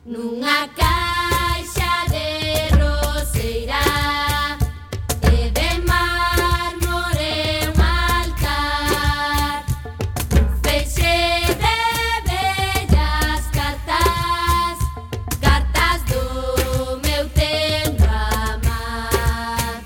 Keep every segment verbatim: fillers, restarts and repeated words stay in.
Nunha caixa de roseira e de mármore un altar, feixe de bellas cartas, cartas do meu tempo amar.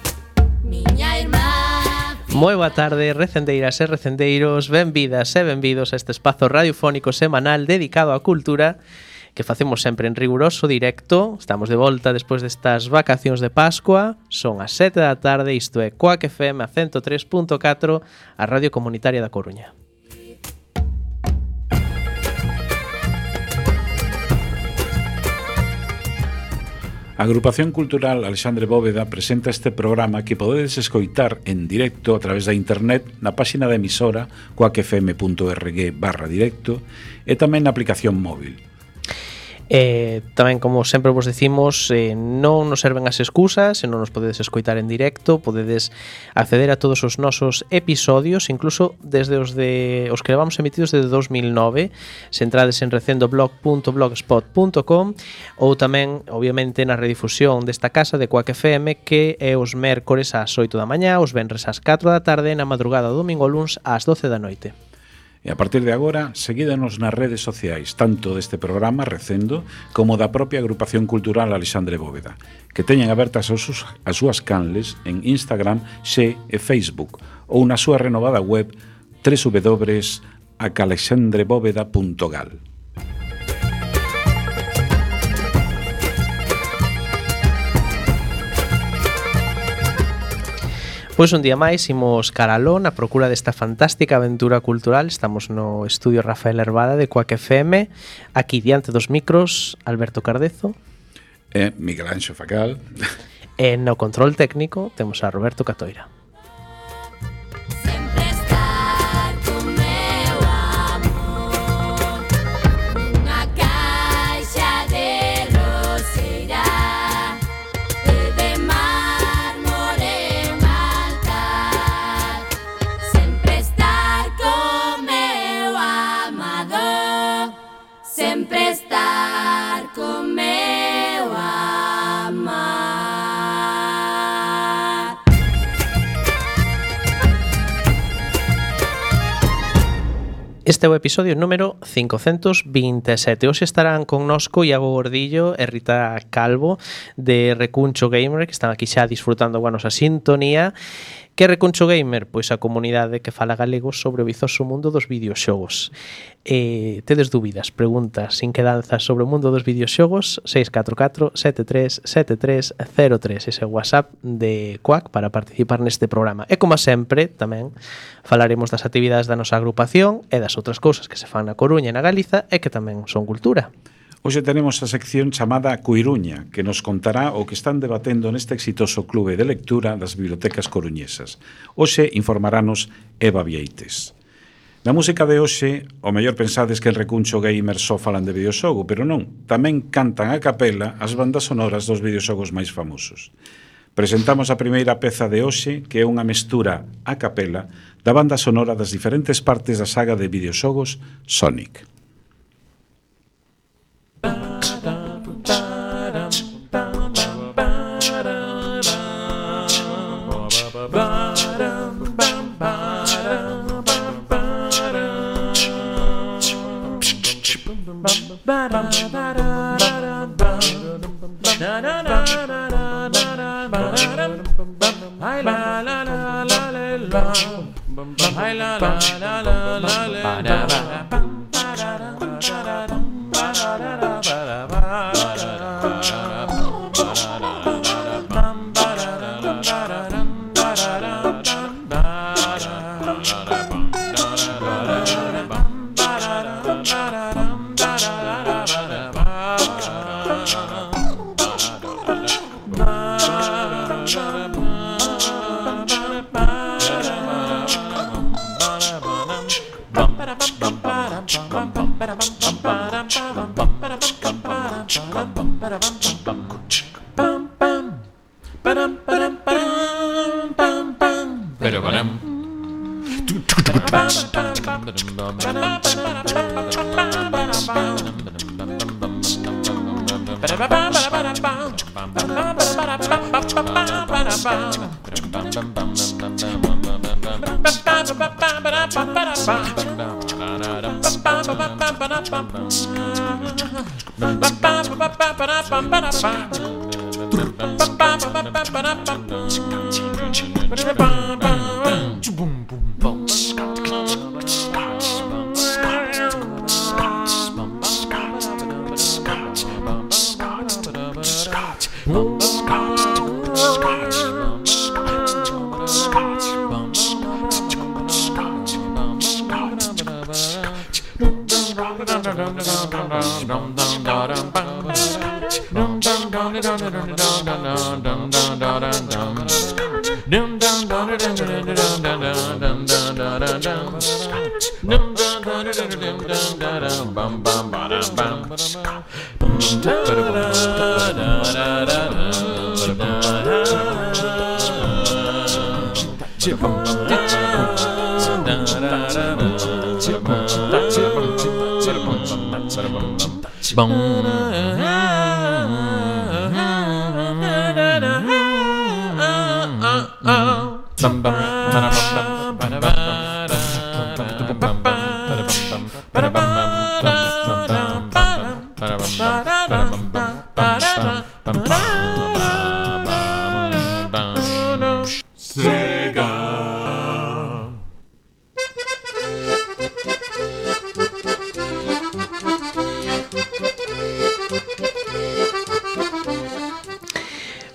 Miña irmá. Moi boa tarde, recendeiras e recendeiros, benvidas e benvidos a este espazo radiofónico semanal dedicado á cultura que facemos sempre en riguroso directo. Estamos de volta despois destas vacacións de Pascua. Son as sete da tarde, isto é Quack F M a ciento tres punto catro, a Radio Comunitaria da Coruña. A Agrupación Cultural Alexandre Bóveda presenta este programa que podedes escoitar en directo a través da internet na páxina da emisora quackfm.org barra directo e tamén na aplicación móvil. Eh, tamén, como sempre vos decimos, eh, non nos serven as excusas, se non nos podedes escoitar en directo, podedes acceder a todos os nosos episodios, incluso desde os de os que levamos emitidos desde dos mil nove, se entrades en recendoblog punto blogspot punto com, ou tamén, obviamente, na redifusión desta casa de Quack F M, que é os mércores ás oito da mañá, os venres ás catro da tarde, na madrugada do domingo luns ás doce da noite. E a partir de agora, seguídanos nas redes sociais, tanto deste programa Recendo como da propia Agrupación Cultural Alexandre Bóveda, que teñen abertas as, as súas canles en Instagram, Xe e Facebook, ou na súa renovada web doble u doble u doble u punto a calexandre bóveda punto gal. Pois un día máis imos caralón a procura desta fantástica aventura cultural. Estamos no estudio Rafael Herbada de Quack F M, aquí diante dos micros Alberto Cardezo e Miguel Anxo Facal. E no control técnico temos a Roberto Catoira. Este é o episodio número cincocentos vinte e sete. Hoxe estarán connosco Iago Gordillo e Rita Calvo de Recuncho Gamer, que están aquí xa disfrutando a nosa sintonía. Que Recuncho Gamer? Pois a comunidade que fala galego sobre o vizoso mundo dos videoxogos. Eh, tedes dúbidas, preguntas, inquedanzas sobre o mundo dos videoxogos? seis catro catro sete tres sete tres cero tres, ese é o WhatsApp de Quack para participar neste programa. E como sempre, tamén falaremos das actividades da nosa agrupación e das outras cousas que se fan na Coruña e na Galiza e que tamén son cultura. Hoxe tenemos a sección chamada Coiruña, que nos contará o que están debatendo neste exitoso clube de lectura das bibliotecas coruñesas. Hoxe informarános Eva Vieites. Na música de hoxe, o mellor pensades que el Recuncho Gamer só falan de videoxogo, pero non, tamén cantan a capela as bandas sonoras dos videoxogos máis famosos. Presentamos a primeira peza de hoxe, que é unha mestura a capela da banda sonora das diferentes partes da saga de videoxogos Sonic.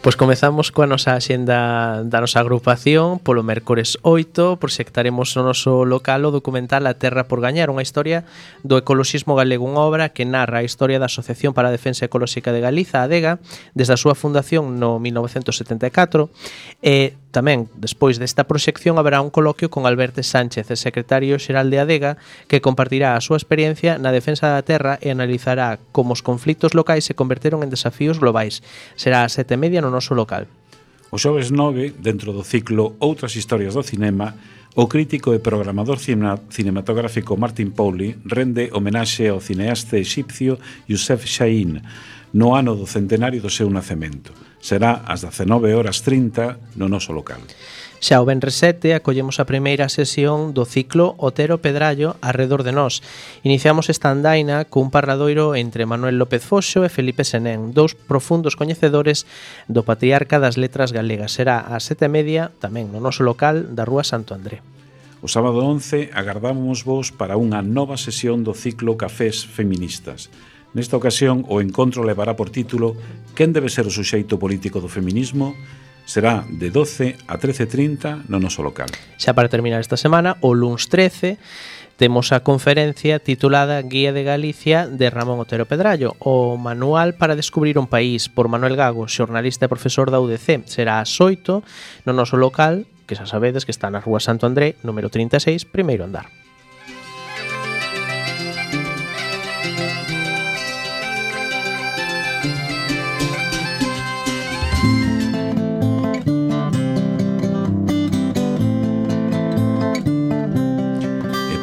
Pois comezamos coa nosa axenda da nosa agrupación. Polo mércores oito proxectaremos no noso local o documental A Terra por Gañar, unha historia do ecoloxismo galego, unha obra que narra a historia da Asociación para a Defensa Ecolóxica de Galiza, ADEGA, desde a súa fundación no mil novecentos setenta e catro. E tamén, despois desta proxección, haberá un coloquio con Alberto Sánchez, el secretario xeral de ADEGA, que compartirá a súa experiencia na defensa da terra e analizará como os conflitos locais se converteron en desafíos globais. Será a sete e media no noso local. O xoves nove, dentro do ciclo Outras historias do cinema, o crítico e programador cinematográfico Martin Pauly rende homenaxe ao cineasta exipcio Youssef Chahine no ano do centenario do seu nacemento. Será ás dezenove horas trinta no noso local. Xa o venres sete acollemos a primeira sesión do ciclo Otero Pedrallo arredor de nós. Iniciamos esta andaina cun parladoiro entre Manuel López Foxo e Felipe Senén, dous profundos coñecedores do patriarca das letras galegas. Será ás sete e media tamén no noso local da Rúa Santo André. O sábado once agardamos vos para unha nova sesión do ciclo Cafés Feministas. Nesta ocasión, o encontro levará por título Quen debe ser o suxeito político do feminismo? Será de doce a trece e trinta no noso local. Xa para terminar esta semana, o luns trece, temos a conferencia titulada Guía de Galicia de Ramón Otero Pedrallo, o manual para descubrir un país, por Manuel Gago, xornalista e profesor da U D C. Será ás oito no noso local, que xa sabedes que está na Rúa Santo André, número trinta e seis, primeiro andar.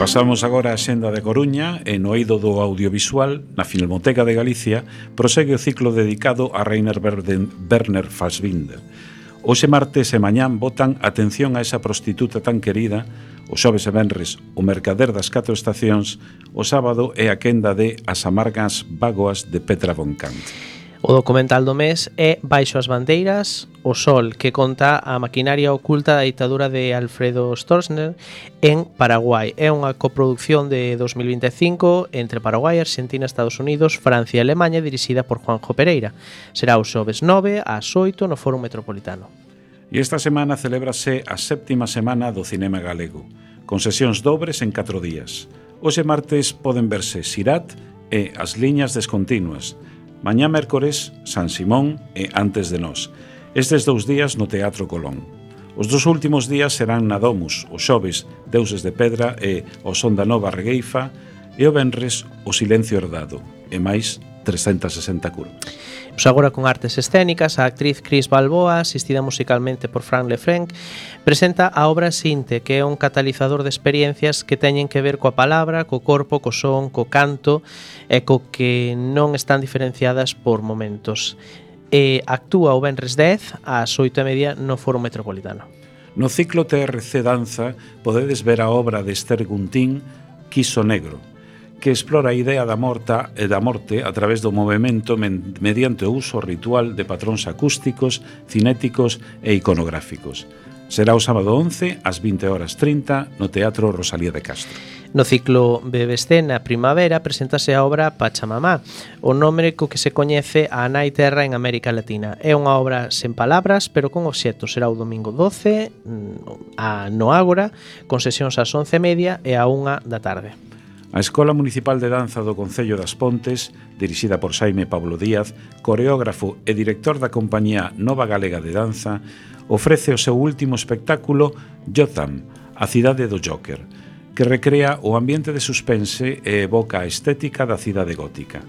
Pasamos agora a xenda de Coruña e no eido do audiovisual, na Filmoteca de Galicia, prosegue o ciclo dedicado a Rainer Werner Fassbinder. Hoxe martes e mañán botan atención a esa prostituta tan querida, o xoves e venres o mercader das catro estacións, o sábado é a quenda de As amargas vagoas de Petra von Kant. O documental do mes é Baixo as bandeiras, o sol, que conta a maquinaria oculta da ditadura de Alfredo Stroessner en Paraguai. É unha coproducción de dos mil vinte e cinco entre Paraguai, Argentina, Estados Unidos, Francia e Alemanha, dirixida por Juanjo Pereira. Será o xoves nove ás oito no Fórum Metropolitano. E esta semana celébrase a séptima semana do cinema galego, con sesións dobres en catro días. Hoxe martes poden verse Sirat e As liñas descontinuas. Mañá mércores, San Simón e Antes de nós. Estes dous días no Teatro Colón. Os dos últimos días serán na Domus, o xoves Deuses de Pedra e o Son da Nova Regueifa, e o venres o Silencio Herdado, e máis trescentos e sesenta curvas. Pues agora con artes escénicas, a actriz Cris Balboa, asistida musicalmente por Frank Lefranc, presenta a obra Sinte, que é un catalizador de experiencias que teñen que ver coa palabra, co corpo, co son, co canto e co que non están diferenciadas por momentos. E actúa o venres dez ás oito e media no Foro Metropolitano. No ciclo T R C Danza podedes ver a obra de Esther Guntín, Quiso Negro, que explora a idea da morta e da morte a través do movimento men mediante o uso ritual de patróns acústicos, cinéticos e iconográficos. Será o sábado once ás vinte horas trinta no Teatro Rosalía de Castro. No ciclo Bebescena Primavera preséntase a obra Pachamamá, o nome co que se coñece a Nai Terra en América Latina. É unha obra sen palabras, pero con obxectos. Será o domingo doce a no Ágora, con sesións ás once e media e a unha da tarde. A Escola Municipal de Danza do Concello das Pontes, dirixida por Xaime Pablo Díaz, coreógrafo e director da compañía Nova Galega de Danza, ofrece o seu último espectáculo Jotham, a cidade do Joker, que recrea o ambiente de suspense e evoca a estética da cidade gótica.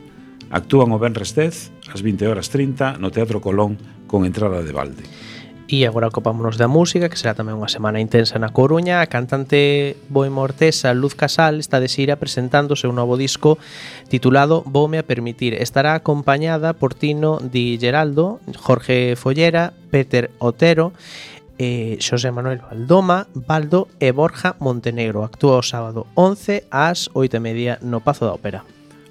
Actúan o venres dez, ás vinte horas trinta, no Teatro Colón, con entrada de balde. E agora ocupámonos da música, que será tamén unha semana intensa na Coruña. A cantante boemortesa Luz Casal está de xira presentando o seu novo disco titulado Voume a permitir. Estará acompañada por Tino Di Geraldo, Jorge Follera, Peter Otero, eh, Xosé Manuel Valdoma, Baldo e Borja Montenegro. Actúa o sábado once ás oito e media no Pazo da Ópera.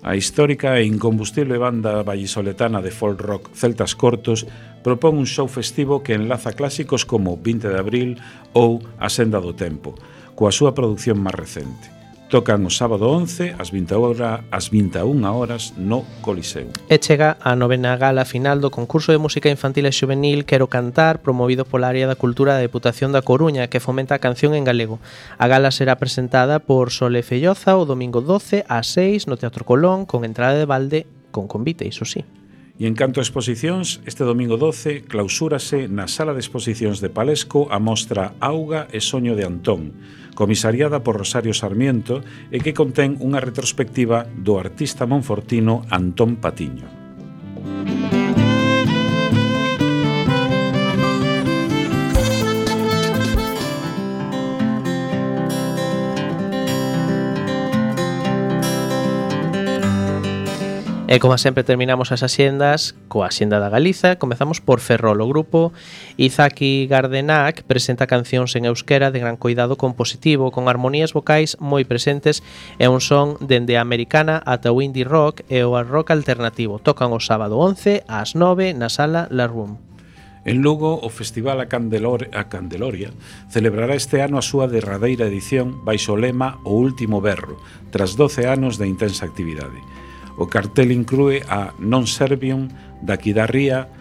A histórica e incombustible banda vallisoletana de folk rock Celtas Cortos propón un show festivo que enlaza clásicos como vinte de abril ou A Senda do Tempo, coa súa produción máis recente. Tocan o sábado once ás vinte e unha horas no Coliseo. E chega a novena gala final do concurso de música infantil e xuvenil Quero Cantar, promovido pola área da cultura da Deputación da Coruña, que fomenta a canción en galego. A gala será presentada por Sole Felloza o domingo doce ás seis no Teatro Colón, con entrada de balde, con convite, iso sí. E en canto a exposicións, este domingo doce clausúrase na Sala de Exposicións de Palesco a mostra Auga e Soño de Antón, comisariada por Rosario Sarmiento e que contén unha retrospectiva do artista monfortino Antón Patiño. E como sempre terminamos as axendas coa Axenda da Galiza. Comezamos por Ferrol. O grupo Izaki Gardenac presenta cancións en euskera de gran coidado compositivo, con armonías vocais moi presentes e un son dende a americana ata o indie rock e o rock alternativo. Tocan o sábado once ás nove na sala La Room. En Lugo, o Festival A, Candelor, a Candeloria celebrará este ano a súa derradeira edición baixo o lema O Último Berro, tras doce anos de intensa actividade. O cartel inclúe a Non Servium, Daqui da Ría,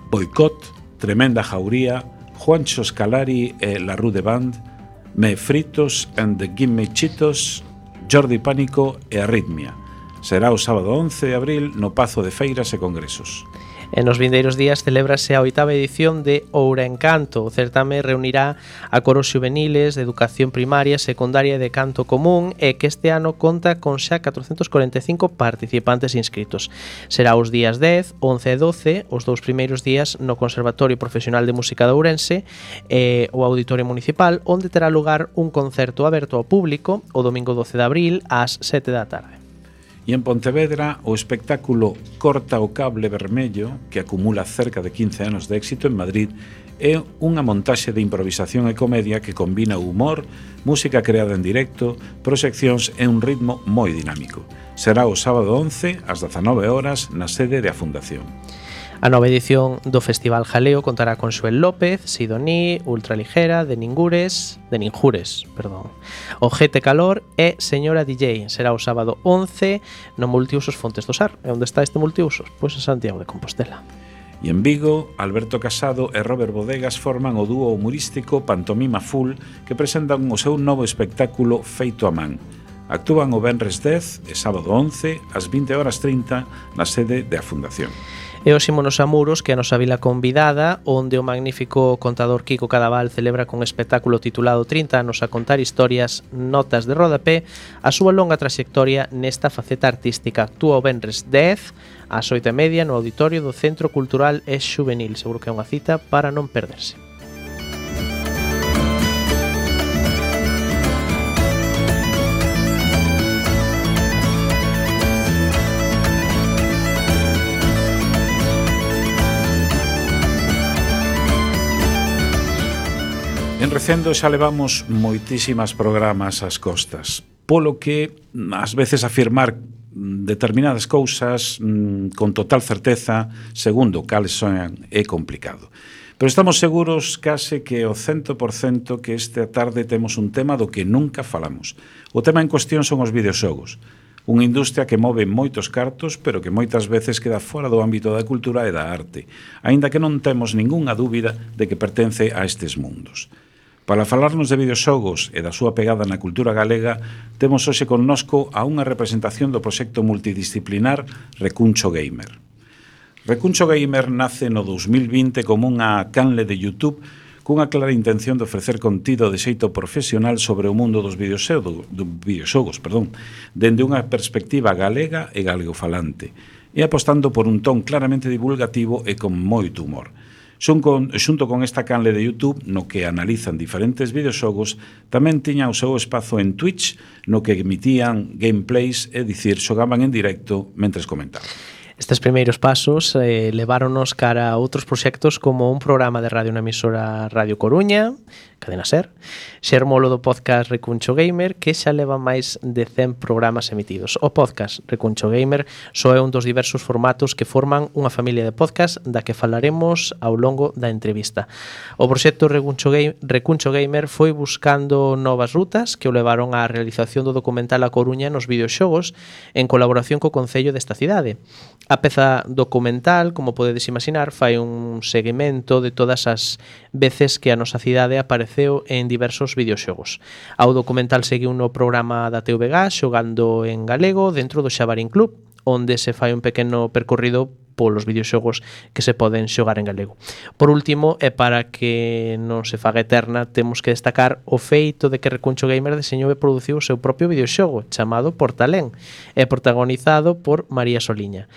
Boicot, Tremenda Jauría, Juancho Scalari e La Rude Band, Me Fritos and the Gimme Chitos, Jordi Pánico e Arritmia. Será o sábado once de abril no Pazo de Feiras e Congresos. E nos vindeiros días celébrase a oitava edición de Oura Encanto. O certame reunirá a coros xuveniles de educación primaria, secundaria e de canto común, e que este ano conta con xa catrocentos corenta e cinco participantes inscritos. Será os días dez, once e doce, os dous primeiros días no Conservatorio Profesional de Música de Ourense e o Auditorio Municipal, onde terá lugar un concerto aberto ao público o domingo doce de abril ás sete da tarde. E en Pontevedra, o espectáculo Corta o Cable Vermello, que acumula cerca de quince anos de éxito en Madrid, é unha montaxe de improvisación e comedia que combina o humor, música creada en directo, proxeccións e un ritmo moi dinámico. Será o sábado once ás dezanove horas na sede da Fundación. A nova edición do Festival Jaleo contará con Xoel López, Sidoní, Ultraligera, de Ningures, de Ninjures, perdón, Ojete Calor e Señora D J. Será o sábado once no Multiusos Fontes do Sar. E onde está este Multiusos? Pois en Santiago de Compostela. E en Vigo, Alberto Casado e Robert Bodegas forman o dúo humorístico Pantomima Full, que presentan o seu novo espectáculo Feito a Man. Actúan o venres dez e sábado once ás vinte horas trinta na sede da Fundación. E hoxe imos a Muros, que é a nosa vila convidada, onde o magnífico contador Kiko Cadaval celebra con espectáculo titulado trinta anos a contar historias, notas de rodapé, a súa longa traxectoria nesta faceta artística. Actúa o venres dez ás oito e media no auditorio do Centro Cultural e Xuvenil. Seguro que é unha cita para non perderse. En Recendo xa levamos moitísimas programas ás costas, polo que ás veces afirmar determinadas cousas mmm, con total certeza, segundo cales son, é complicado. Pero estamos seguros case que o cento por cento que esta tarde temos un tema do que nunca falamos. O tema en cuestión son os videoxogos, unha industria que move moitos cartos, pero que moitas veces queda fora do ámbito da cultura e da arte, aínda que non temos ningunha dúbida de que pertence a estes mundos. Para falarnos de videoxogos e da súa pegada na cultura galega, temos hoxe connosco a unha representación do proxecto multidisciplinar Recuncho Gamer. Recuncho Gamer nace no dous mil vinte como unha canle de YouTube cunha clara intención de ofrecer contido de xeito profesional sobre o mundo dos videoxogos, dos videoxogos, perdón, dende unha perspectiva galega e galegofalante, e apostando por un ton claramente divulgativo e con moito humor. Xun con, xunto con esta canle de YouTube, no que analizan diferentes videoxogos, tamén tiña o seu espazo en Twitch, no que emitían gameplays, é dicir, xogaban en directo mentres comentaban. Estes primeiros pasos eh, leváronos cara a outros proxectos como un programa de radio na emisora Radio Coruña, Cadena Ser, xermolo do podcast Recuncho Gamer, que xa leva máis de cen programas emitidos. O podcast Recuncho Gamer só é un dos diversos formatos que forman unha familia de podcast da que falaremos ao longo da entrevista. O proxecto Recuncho, Game, Recuncho Gamer foi buscando novas rutas que o levaron á realización do documental A Coruña nos videoxogos en colaboración co Concello desta cidade. A peza documental, como podedes imaginar, fai un seguimento de todas as veces que a nosa cidade apareceu en diversos videoxogos. Ao documental seguiu no programa da T V G xogando en galego dentro do Xabarín Club, onde se fai un pequeno percorrido polos videoxogos que se poden xogar en galego. Por último, e para que non se faga eterna, temos que destacar o feito de que Recuncho Gamer deseñou e produciu o seu propio videoxogo chamado Portalén e protagonizado por María Soliña.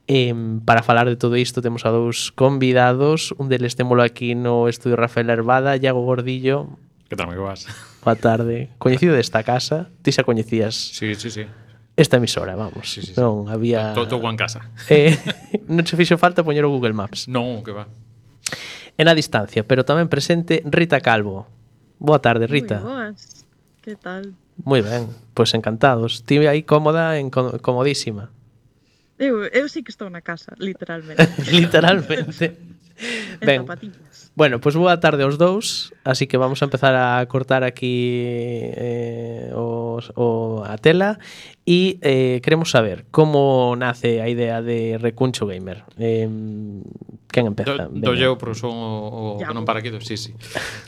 E, para falar de todo isto temos a dous convidados, un deles témolo aquí no estudio Rafael Herbada, Iago Gordillo. Que tal, me vas? Boa tarde. Coñecido desta casa, ti xa coñecías Sí, sí, sí. esta emisora, vamos. Sí, sí, sí. Non había... Todo en casa. Eh, non che fixo falta poñer o Google Maps. Non, que va. En a distancia, pero tamén presente Rita Calvo. Boa tarde, Rita. Moi boas. Que tal? Moi ben, pois pues encantados. Ti aí cómoda, en comodísima. Eu, eu sí que estou na casa, literalmente. Literalmente. Ben, zapatillas. Bueno, pois pues boa tarde aos dous. Así que vamos a empezar a cortar aquí eh, os, o, a tela. E eh, queremos saber como nace a idea de Recuncho Gamer. Eh, quen empeza? Do, do eu, pero son o, o que non para aquí, sí, sí.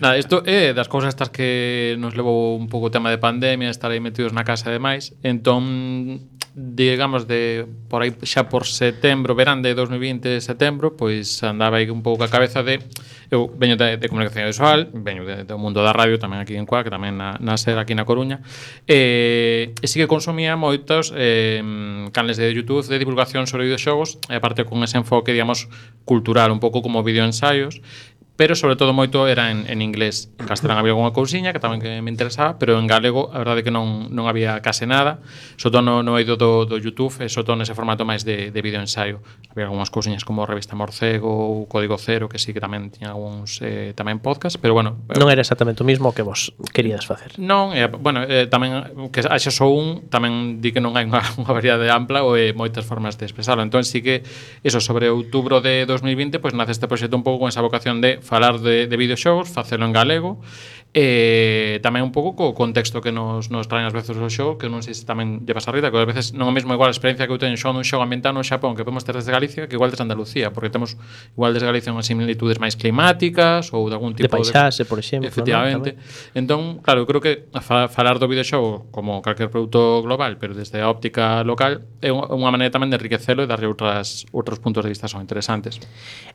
Nada, isto é das cousas estas que nos levou un pouco o tema de pandemia, estar aí metidos na casa e demais. Entón, digamos, de por aí xa por setembro, verán de dos mil vinte, setembro, pois andaba aí un pouco a cabeza de... Eu veño de, de comunicación visual, veño de, do mundo da radio, tamén aquí en Coa, que tamén na, na SER aquí na Coruña, e, e sí que consumía moitos eh, canales de YouTube de divulgación sobre videoxogos, e aparte con ese enfoque, digamos, cultural, un pouco como videoensaios, pero sobre todo moito era en, en inglés. En castelán había alguna cousiña que tamén que me interesaba, pero en galego a verdade é que non, non había case nada, sobre todo no, no eido do, do YouTube, e sobre todo nese formato máis de, de videoensaio. Había algunhas cousiñas como Revista Morcego ou Código Cero, que sí que tamén tiña algúns eh, tamén podcast, pero bueno... Non era exactamente o mismo que vos queríades facer. Non, eh, bueno, eh, tamén que haxa só un, tamén di que non hai unha, unha variedade ampla ou eh, moitas formas de expresarlo. Entón sí que, eso, sobre outubro de dos mil vinte, pois pues, nace este proxecto un pouco con esa vocación de falar de, de videoxogos, facelo en galego, e tamén un pouco co contexto que nos, nos traen ás veces o xogo, que non sei se tamén lle pasa a Rita, que ás veces non é mesmo igual a experiencia que eu teño xogando un xogo ambientado no Xapón que podemos ter desde Galicia que igual desde Andalucía, porque temos igual desde Galicia unhas similitudes máis climáticas ou de algún tipo de paisaxe, de, por exemplo, efectivamente, ¿no? Entón, claro, eu creo que fa, falar do videoxogo como calquer produto global, pero desde a óptica local é unha maneira tamén de enriquecelo e darlle outras outros puntos de vista son interesantes.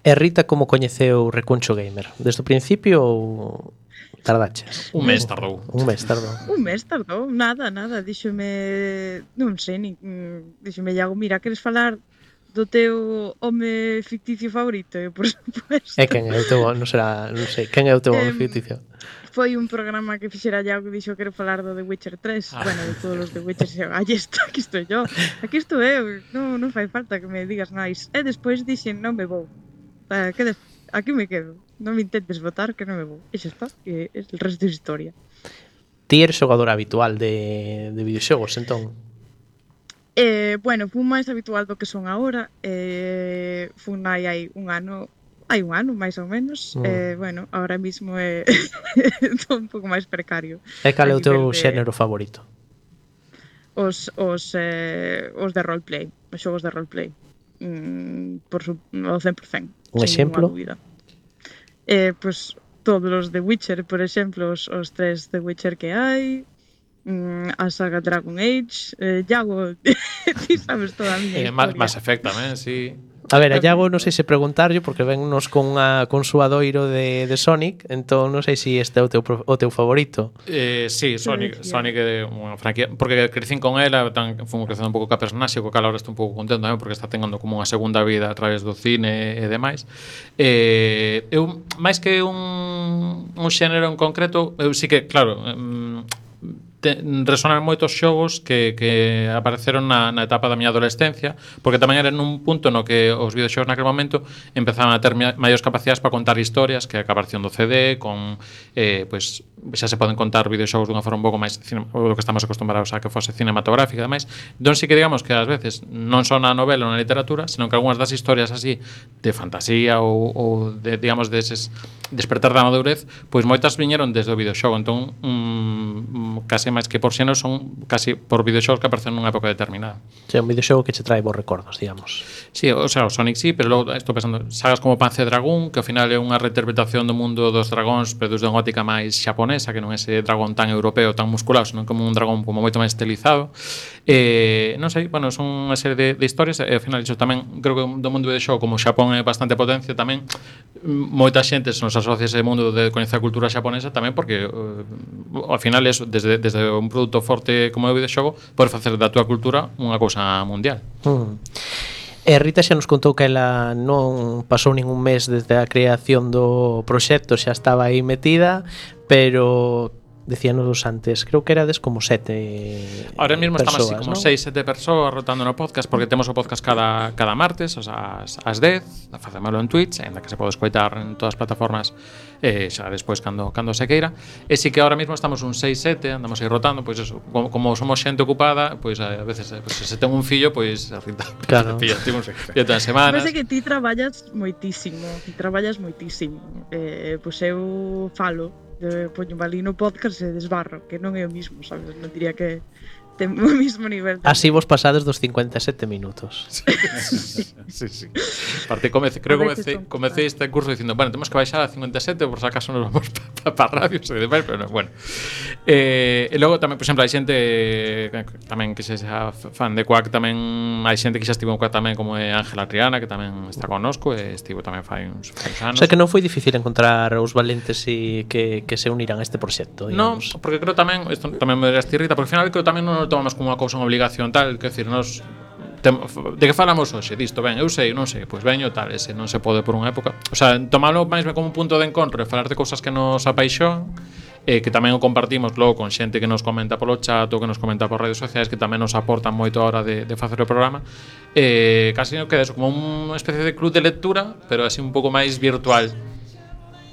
E Rita, como coñeceu Recuncho Gamer? Desde o principio ou tardaches? Un mes tardou. Un mes tardou. Un mes tardou, nada, nada. Díxome, non sei, nin, díxome, Iago, mira, queres falar do teu home ficticio favorito? E, por supuesto. E quen é o teu, non será, non sei, quen é o teu home ficticio? Foi un programa que fixera Iago que dixo que quero falar do The Witcher tres. Ah. Bueno, de todos os The Witcher. E, aí está, aquí estou yo. Aquí estou eu. Non, non fai falta que me digas máis. E despois dixen, non me vou. Eh, que des... Aquí me quedo. Non me intentes votar que non me vou. E xa está. E el resto é historia. Ti eres xogador habitual de, de videoxogos, entón? Eh, bueno, fun máis habitual do que son agora. Eh, fun aí hai un ano, hai un ano, máis ou menos. Mm. Eh, bueno, ahora mismo é un pouco máis precario. E cal é o teu de... xénero favorito? Os, os, eh, os de roleplay, os xogos de roleplay. Mm, por su, o cen por cento. Un exemplo? Eh, pues todos os de Witcher, por exemplo, os, os tres de Witcher que hai, mm, a saga Dragon Age, eh, Iago, ti sabes toda a miña eh, historia. Mass Effect tamén, sí. A ver, a Iago non sei se preguntarlle porque vennos con unha con suadoiro de, de Sonic, entón non sei se este é o teu, o teu favorito. Eh, sí, Sonic, Sonic é unha franquía, porque crecín con ela, tan fomos crecendo un pouco ca personaxe, co cal ahora estou un pouco contento tamén porque está tendo como unha segunda vida a través do cine e demais. Eh, eu máis que un un xénero en concreto, eu sí que, claro, um, te, resonan moitos xogos que, que apareceron na, na etapa da miña adolescencia, porque tamén era nun punto no que os videoxogos naquele momento empezaban a ter maiores capacidades para contar historias, que a aparición do C D, con eh, pues, xa se poden contar videoxogos dunha forma un pouco máis do que estamos acostumbrados a que fose cinematográfica e demais. Entón sí que digamos que ás veces non só na novela ou na literatura, senón que algunhas das historias así de fantasía ou, ou de, digamos, deses despertar da madurez, pois moitas viñeron desde o videoxogo. Entón, mm, case máis que por xénero son casi por videoxogos que aparecen nunha época determinada. Sí, un videoxogo que che trae bons recordos, digamos. Sí, o sea, o Sonic sí, pero logo estou pensando sagas como Panzer Dragoon, que ao final é unha reinterpretación do mundo dos dragóns, pero desde unha óptica máis xaponesa, que non é ese dragón tan europeo, tan musculado, senón como un dragón como moito máis estilizado. Eh, non sei, bueno, son unha serie de, de historias e ao final iso tamén, creo que do mundo do xogo como Xapón é bastante potencia tamén, moita xente se nos asocia ese mundo de coñecer a cultura xaponesa tamén porque uh, ao final eso, desde, desde un produto forte como o videoxogo podes facer da túa cultura unha cousa mundial. Mm. E Rita xa nos contou que ela non pasou ningún mes desde a creación do proxecto, xa estaba aí metida, pero decíanos antes, creo que erades como sete ahora mesmo persoas, estamos así como ¿no? seis, sete persoas rotando no podcast porque temos o podcast cada, cada martes, o sea, as, as dez, facémoslo en Twitch, ainda que se pode escoitar en todas as plataformas eh, xa despois cando, cando se queira. E si que ahora mesmo estamos un seis, sete, andamos aí rotando, pois eso, como, como somos xente ocupada, pois a veces pues, se ten un fillo, pois Rita, claro. Fillo, tipo, fillo todas as semanas. Parece que ti traballas moitísimo, ti traballas moitísimo. Eh, pois eu falo de poño ali no podcast e desbarro, que non é o mismo, sabes? Non diría que ten o mismo nivel. Así vos pasades dos cincuenta e sete minutos. Sí, sí, sí. Parte comece, creo que comecei, comecei este curso dicindo, bueno, temos que baixar a cincuenta e sete por si acaso nos vamos para pa, pa radios e demais, pero no, bueno. Eh, e logo tamén, por exemplo, hai xente tamén que se xa fan de Quack, tamén hai xente que xa estivo en Quack tamén, como é Ángela Triana, que tamén está connosco e estivo tamén fai uns, fai uns anos. O sea que non foi difícil encontrar os valentes e que, que se uniran a este proxecto, digamos. Non, porque creo tamén, isto tamén me dirás ti, Rita, porque ao final creo tamén non o tomamos como unha cousa, unha obligación tal, que decir, nos tem, de que falamos hoxe, disto, ben, eu sei, non sei, pois veño tal, ese non se pode por unha época. O sea, tomalo máis ben como un punto de encontro e falar de cousas que nos apaixón, e que tamén o compartimos logo con xente que nos comenta polo chat ou que nos comenta por redes sociais que tamén nos aportan moito a hora de, de facer o programa. E casi non queda eso, como unha especie de club de lectura, pero así un pouco máis virtual.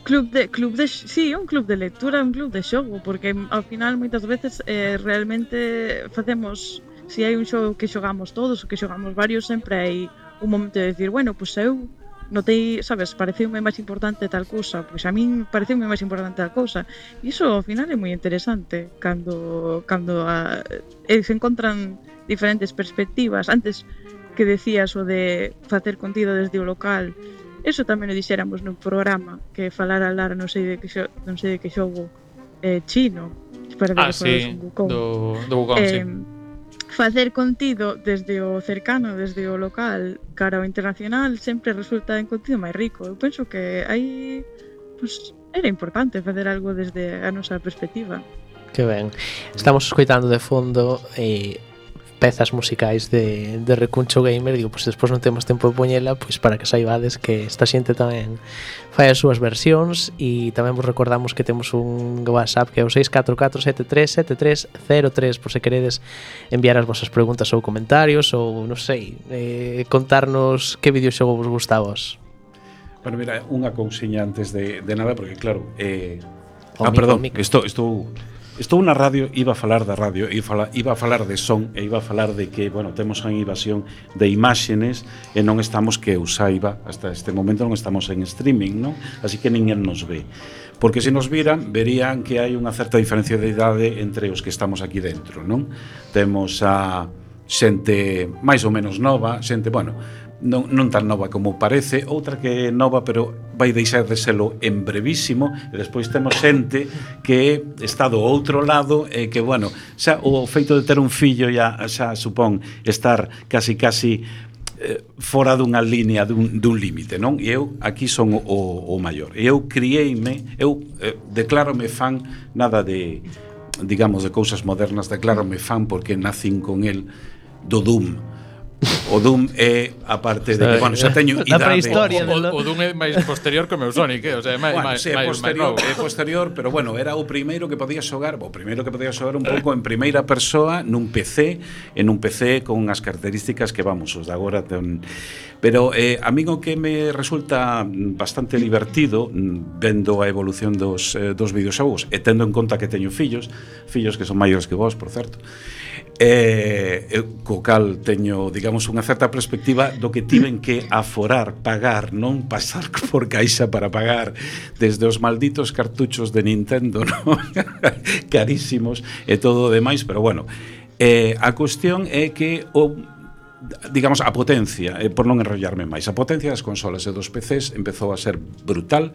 Club de, club de, sí, un club de lectura, un club de xogo, porque ao final moitas veces eh, realmente facemos, se si hai un xogo que xogamos todos ou que xogamos varios, sempre hai un momento de decir, bueno, pois pues eu notei, sabes, pareceume máis importante tal cousa, pois a min pareceume máis importante tal cousa. E iso ao final é moi interesante cando cando a, eh, se encontran diferentes perspectivas. Antes que decías o de facer contido desde o local, eso tamén o dixéramos no programa, que falara Lara non sei de que xo, non sei de que xogo eh, chino, para ah, sí, do, do Wukong, eh, sí. Facer contido desde o cercano, desde o local cara ao internacional sempre resulta en contido máis rico. Eu penso que aí pues, era importante facer algo desde a nosa perspectiva. Que ben. Estamos escoitando de fondo eh, pezas musicais de, de Recuncho Gamer. Digo, pois pues, despois non temos tempo de poñela, pois para que saibades que esta xente tamén fai as súas versións. E tamén vos recordamos que temos un WhatsApp que é o seis catro catro sete tres sete tres cero tres, por se queredes enviar as vosas preguntas ou comentarios, ou non sei, eh, contarnos que videoxogo vos gusta a vos. Bueno, mira, unha cousiña antes de, de nada, porque claro, eh, o ah, mico, perdón, mico. estou estou Estou na radio, iba a falar da radio, iba a falar, iba a falar de son e iba a falar de que, bueno, temos a invasión de imágenes e non estamos, que eu saiba, hasta este momento non estamos en streaming, non? Así que ninguén nos ve. Porque se nos viran, verían que hai unha certa diferencia de idade entre os que estamos aquí dentro, non? Temos a xente máis ou menos nova, xente, bueno, non, non tan nova como parece, outra que é nova pero vai deixar de selo en brevísimo, e despois temos xente que está do outro lado e que, bueno, xa o feito de ter un fillo xa, xa supón estar casi casi eh, fora dunha línea, dun, dun límite, non? E eu aquí son o, o maior, e eu criei-me, eu eh, declárome fan nada de, digamos, de cousas modernas, declárome fan porque nacín con el do Doom. O Doom é a parte de que, bueno, xa teño idade. prehistoria o, o, o Doom é máis posterior que o meu Sonic, eh? O sea, é máis, bueno, máis, sí, é máis, posterior, máis é posterior, pero bueno, era o primeiro que podía xogar, o primeiro que podía xogar un pouco en primeira persoa nun P C, en un P C con unhas características que, vamos, os de agora ten... Pero eh, a min o que me resulta bastante divertido vendo a evolución dos, eh, dos videoxogos e tendo en conta que teño fillos, fillos que son maiores que vos, por certo, eh, eu, co cal teño, digamos, unha certa perspectiva do que tiven que aforar, pagar, non pasar por caixa para pagar desde os malditos cartuchos de Nintendo, non? Carísimos e todo o demais, pero bueno, eh, a cuestión é que o digamos, a potencia, eh, por non enrollarme máis, a potencia das consolas e dos P Cs empezou a ser brutal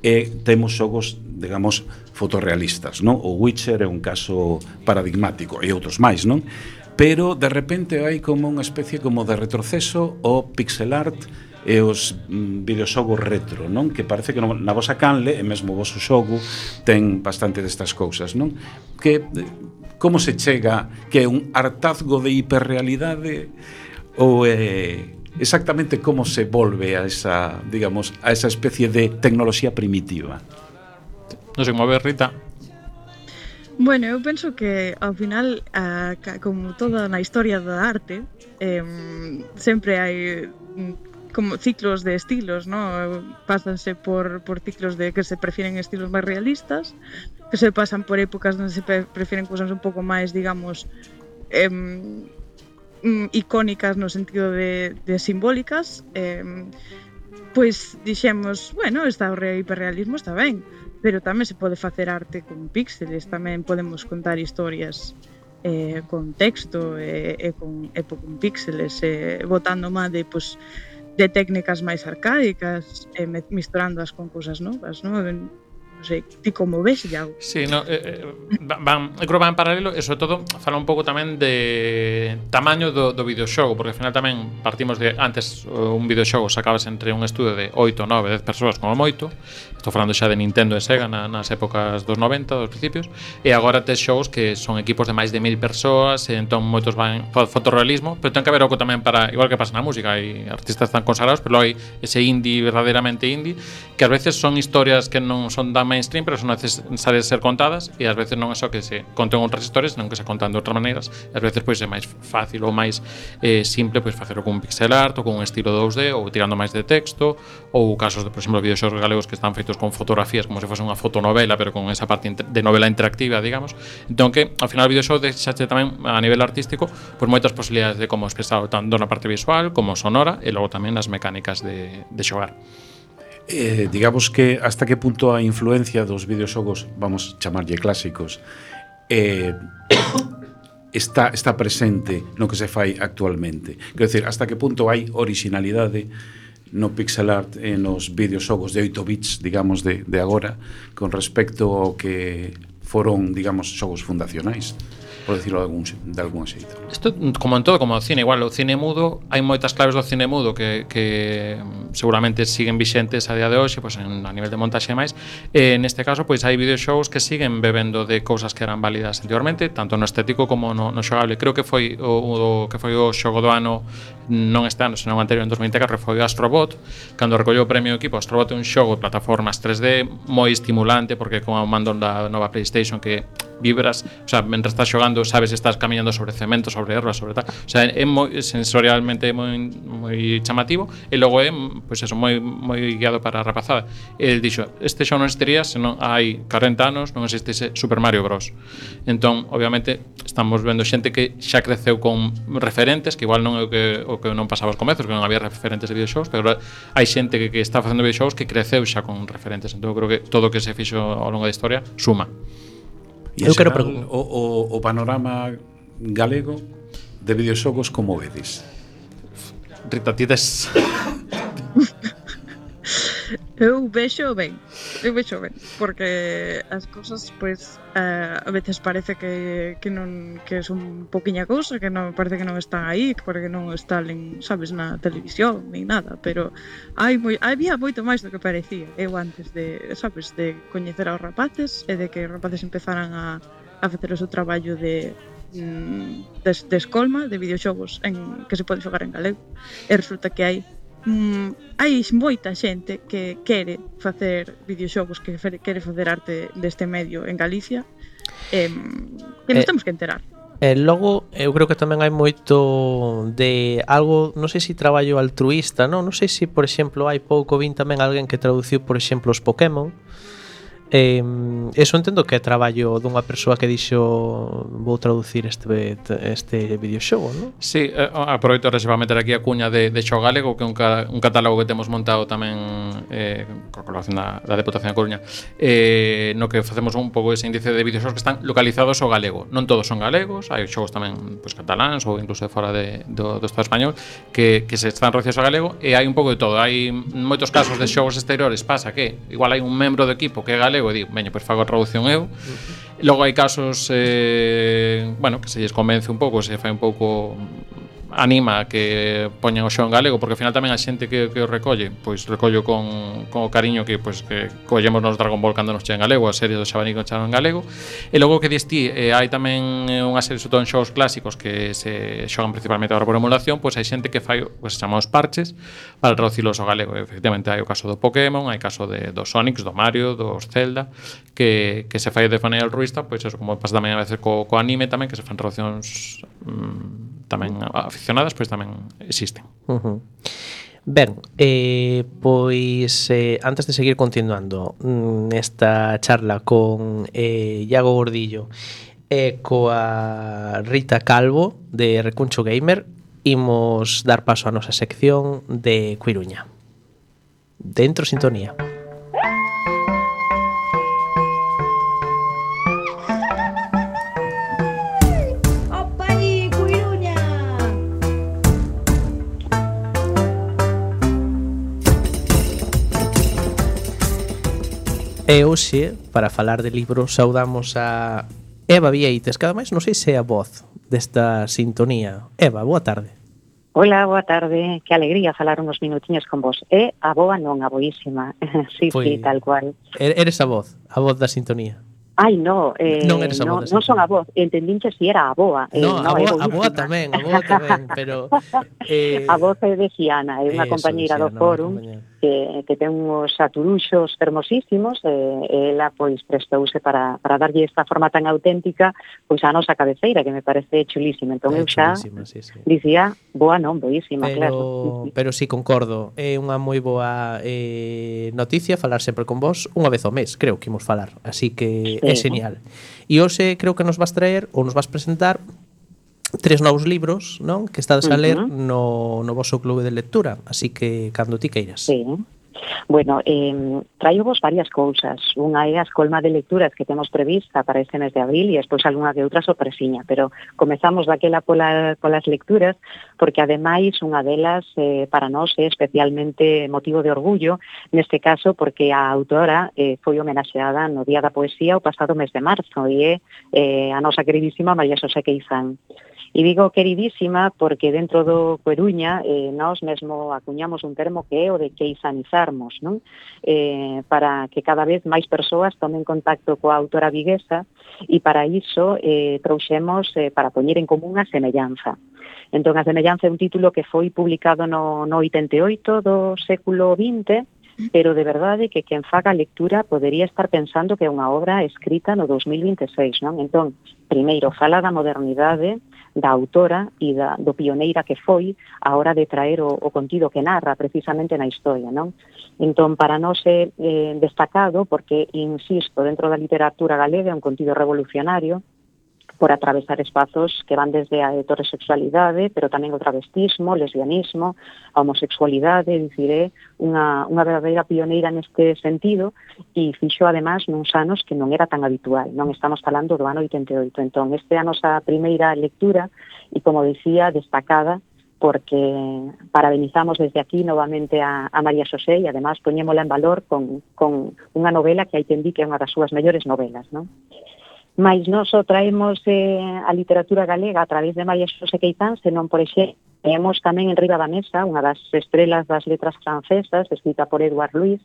e temos xogos, digamos, fotorrealistas, non? O Witcher é un caso paradigmático e outros máis, non? Pero de repente hai como unha especie como de retroceso o pixel art e os mm, videoxogos retro, non? Que parece que no, na vosa canle, e mesmo o voso xogo ten bastante destas cousas, non? Que como se chega, que é un hartazgo de hiperrealidade ou é exactamente como se volve a esa, digamos, a esa especie de tecnoloxía primitiva? Non sei como ver, Rita. Bueno, eu penso que ao final, a, como toda na historia da arte, eh, sempre hai como ciclos de estilos, ¿no? Pásanse por, por ciclos de que se prefieren estilos máis realistas, que se pasan por épocas onde se prefieren cousas un pouco máis, digamos, eh, icónicas no sentido de, de simbólicas. Eh, pois dixemos, bueno, está o hiperrealismo, está ben, pero tamén se pode facer arte con píxeles, tamén podemos contar historias eh, con texto e, e con, e con píxeles, eh, botando má de, pues, de técnicas máis arcaicas, e misturándoas con cousas novas, non? Non sei, ti como ves, Iago? Sí, no, eh, van, eu creo que van en paralelo e sobre todo fala un pouco tamén de tamaño do, do videoxogo, porque ao final tamén partimos de antes un videoxogo sacabas entre un estudio de oito, nove, dez persoas como moito. Estou falando xa de Nintendo e Sega na, nas épocas dos noventa, dos principios, e agora tes xogos que son equipos de máis de mil persoas, e entón moitos van fotorrealismo, pero ten que haber algo tamén para, igual que pasa na música, hai artistas tan consagrados, pero hai ese indie verdadeiramente indie, que ás veces son historias que non son tan mainstream, pero son necesarias ser contadas e ás veces non é só que se conten outras historias, senón que se contan de outras maneiras e ás veces pois é máis fácil ou máis eh, simple pois facelo con un pixel art ou con un estilo dous D ou tirando máis de texto ou casos de, por exemplo, videoxogos galegos que están feitos con fotografías como se fose unha fotonovela pero con esa parte de novela interactiva, digamos. Entón que ao final o videoxogo deixache tamén a nivel artístico pois moitas posibilidades de como expresar tanto na parte visual como sonora e logo tamén nas mecánicas de, de xogar. Eh, digamos que hasta que punto a influencia dos videoxogos, vamos chamarlle clásicos, eh, está, está presente no que se fai actualmente. Quero dicir, hasta que punto hai originalidade no pixel art e nos videoxogos de oito bits, digamos, de, de agora, con respecto ao que foron, digamos, xogos fundacionais, por decirlo de algún, de algún xeito. Isto, como en todo, como o cine, igual o cine mudo, hai moitas claves do cine mudo que, que seguramente siguen vixentes a día de hoxe, pois en, a nivel de montaxe e máis. E neste caso, pois hai videoxogos que siguen bebendo de cousas que eran válidas anteriormente, tanto no estético como no, no xogable. Creo que foi o, o que foi o xogo do ano, non este ano, senón anterior, en dos mil vinte e catro, foi Astrobot, cando recolleu o premio equipo. Astrobot é un xogo de plataformas tres D moi estimulante, porque con o mando da nova PlayStation que vibras, o sea, mentre estás xogando sabes se estás camiñando sobre cemento, sobre erva, sobre tal. O sea, é moi sensorialmente moi moi chamativo e logo é, pois eso, moi moi guiado para a rapazada. El dixo, este xogo non existiría se non hai corenta anos non existise Super Mario Bros. Entón, obviamente, estamos vendo xente que xa creceu con referentes, que igual non é o que o que non pasaba aos comezos, que non había referentes de videoxogos, pero hai xente que, que está facendo videoxogos que creceu xa con referentes. Entón, creo que todo o que se fixo ao longo da historia suma. E eu quero preguntar o, o, o panorama galego de videoxogos como vedes? Rita, ti des... Eu vexo ben, eu vexo ben, porque as cousas, pois, uh, a veces parece que, que non que son poquinha cousa, que non parece que non están aí, porque non están, en, sabes, na televisión, nin nada, pero hai moi, había moito máis do que parecía. Eu antes de, sabes, de coñecer aos rapaces e de que os rapaces empezaran a, a facer o seu traballo de mm, de, de escolma, de videoxogos en, que se pode xogar en galego, e resulta que hai Mm, hai moita xente que quere facer videoxogos, que quere facer arte deste medio en Galicia, eh, que nos eh, temos que enterar. E logo, eu creo que tamén hai moito de algo, non sei se traballo altruísta, non? Non sei se, por exemplo, hai pouco vin tamén alguén que traduciu, por exemplo, os Pokémon. Eh, eso entendo que é traballo dunha persoa que dixo vou traducir este este videoxogo, non? Sí, eh, aproveito para meter aquí a cuña de, de Xogo Galego, que é un, ca, un catálogo que temos montado tamén eh, con colaboración da, da Deputación da Coruña, eh, no que facemos un pouco ese índice de videoxogos que están localizados ao galego. Non todos son galegos, hai xogos tamén pues, cataláns ou incluso de fora de, do, do Estado español que, que se están traducidos ao galego, e hai un pouco de todo. Hai moitos casos de xogos exteriores, pasa que igual hai un membro do equipo que é galego e digo, veña, pois fago a traducción eu. Uh-huh. Logo hai casos eh, bueno, que se lles convence un pouco, se fai un pouco anima a que poñan o xogo en galego, porque ao final tamén a xente que, que o recolle, pois recollo con, con o cariño que pois que collemos nos Dragon Ball cando nos chega en galego, a serie do Xabanico chegan en galego. E logo que diste, eh, hai tamén unha serie sobre todo en xogos clásicos que se xogan principalmente agora por emulación, pois hai xente que fai, pois se chama os parches para traducilos ao galego. E, efectivamente hai o caso do Pokémon, hai o caso de dos Sonics, do Mario, dos Zelda, que, que se fai de maneira altruísta, pois eso, como pasa tamén a veces co, co anime tamén, que se fan traduccións mm, tamén aficionadas, pois tamén existen. Uh-huh. Ben, eh, pois eh, antes de seguir continuando nesta charla con eh, Iago Gordillo e coa Rita Calvo de Recuncho Gamer, imos dar paso á nosa sección de Coiruña. Dentro sintonía. E hoxe, para falar de libros, saudamos a Eva Vieites, cada máis non sei se é a voz desta sintonía. Eva, boa tarde. Hola, boa tarde. Que alegría falar uns minutiños con vos. É a boa non, a boísima. Sí, pois, sí, tal cual. Eres a voz, a voz da sintonía. Ai, no, eh, non eres a no, voz. non son a voz, entendinche si era a boa. Eh, No, a é boa, a boa boísima. tamén, a boa tamén, pero eh, A voz é de Xiana, é unha eso, compañeira de do Xiana, fórum unha compañera. que, que ten uns aturuxos fermosísimos e, e ela pois prestouse para, para darlle esta forma tan auténtica pois a nosa cabeceira, que me parece chulísima. Entón É eu xa chulísima, sí, sí. dicía, boa non, boísima, Pero, claro. pero sí, concordo. É unha moi boa eh, noticia falar sempre con vos unha vez ao mes, creo que imos falar. Así que Sí. é genial. E hoxe creo que nos vas traer ou nos vas presentar tres novos libros, non? Que estades a ler Uh-huh. no, no voso clube de lectura. Así que cando ti queiras. Sí. Bueno, eh, traio vos varias cousas. Unha é a escolma de lecturas que temos prevista para este mes de abril e despois algunha que outra sorpresiña, pero comezamos daquela pola, polas lecturas porque ademais unha delas eh, para nós é especialmente motivo de orgullo, neste caso porque a autora eh, foi homenaxeada no Día da Poesía o pasado mes de marzo e é eh, a nosa queridísima María Xosé Queizán. E digo queridísima porque dentro do Coruña eh, nós mesmo acuñamos un termo que é o de queizanizarmos, non? Eh, para que cada vez máis persoas tomen contacto coa autora viguesa e para iso eh, trouxemos eh, para poñer en común a semellanza. Entón, a semellanza é un título que foi publicado no, no oitenta e oito do século vinte, pero de verdade que quen faga a lectura podería estar pensando que é unha obra escrita no dos mil vinte e seis, non? Entón, primeiro, fala da modernidade da autora e da, do pioneira que foi a hora de traer o, o contido que narra precisamente na historia, non? Entón, para nós é eh, destacado porque, insisto, dentro da literatura galega é un contido revolucionario por atravesar espazos que van desde a heterosexualidade, pero tamén o travestismo, lesbianismo, a homosexualidade, dicir, é unha, unha verdadeira pioneira neste sentido e fixo, además, nuns anos que non era tan habitual, non estamos falando do ano oitenta e oito. Entón, esta é a nosa primeira lectura e, como dicía, destacada porque parabenizamos desde aquí novamente a, a María Xosé e, además, poñémola en valor con, con unha novela que hai quen di que é unha das súas mellores novelas, non? Mais non só traemos eh, a literatura galega a través de María Xosé Queizán, senón, por exemplo, temos tamén en riba da mesa unha das estrelas das letras francesas, escrita por Edouard Louis,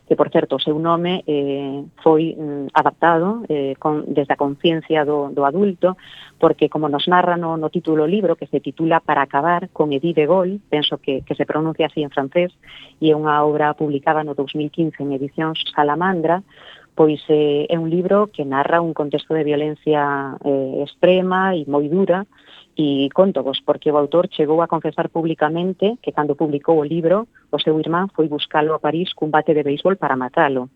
que, por certo, o seu nome eh, foi mm, adaptado eh, con, desde a conciencia do, do adulto, porque, como nos narra no, no título do libro, que se titula Para acabar, con Edith de Gaulle, penso que, que se pronuncia así en francés, e é unha obra publicada no dos mil quince en edicións Salamandra, pois eh, é un libro que narra un contexto de violencia eh, extrema e moi dura, e contovos, porque o autor chegou a confesar públicamente que cando publicou o libro, o seu irmán foi buscalo a París cun bate de béisbol para matalo.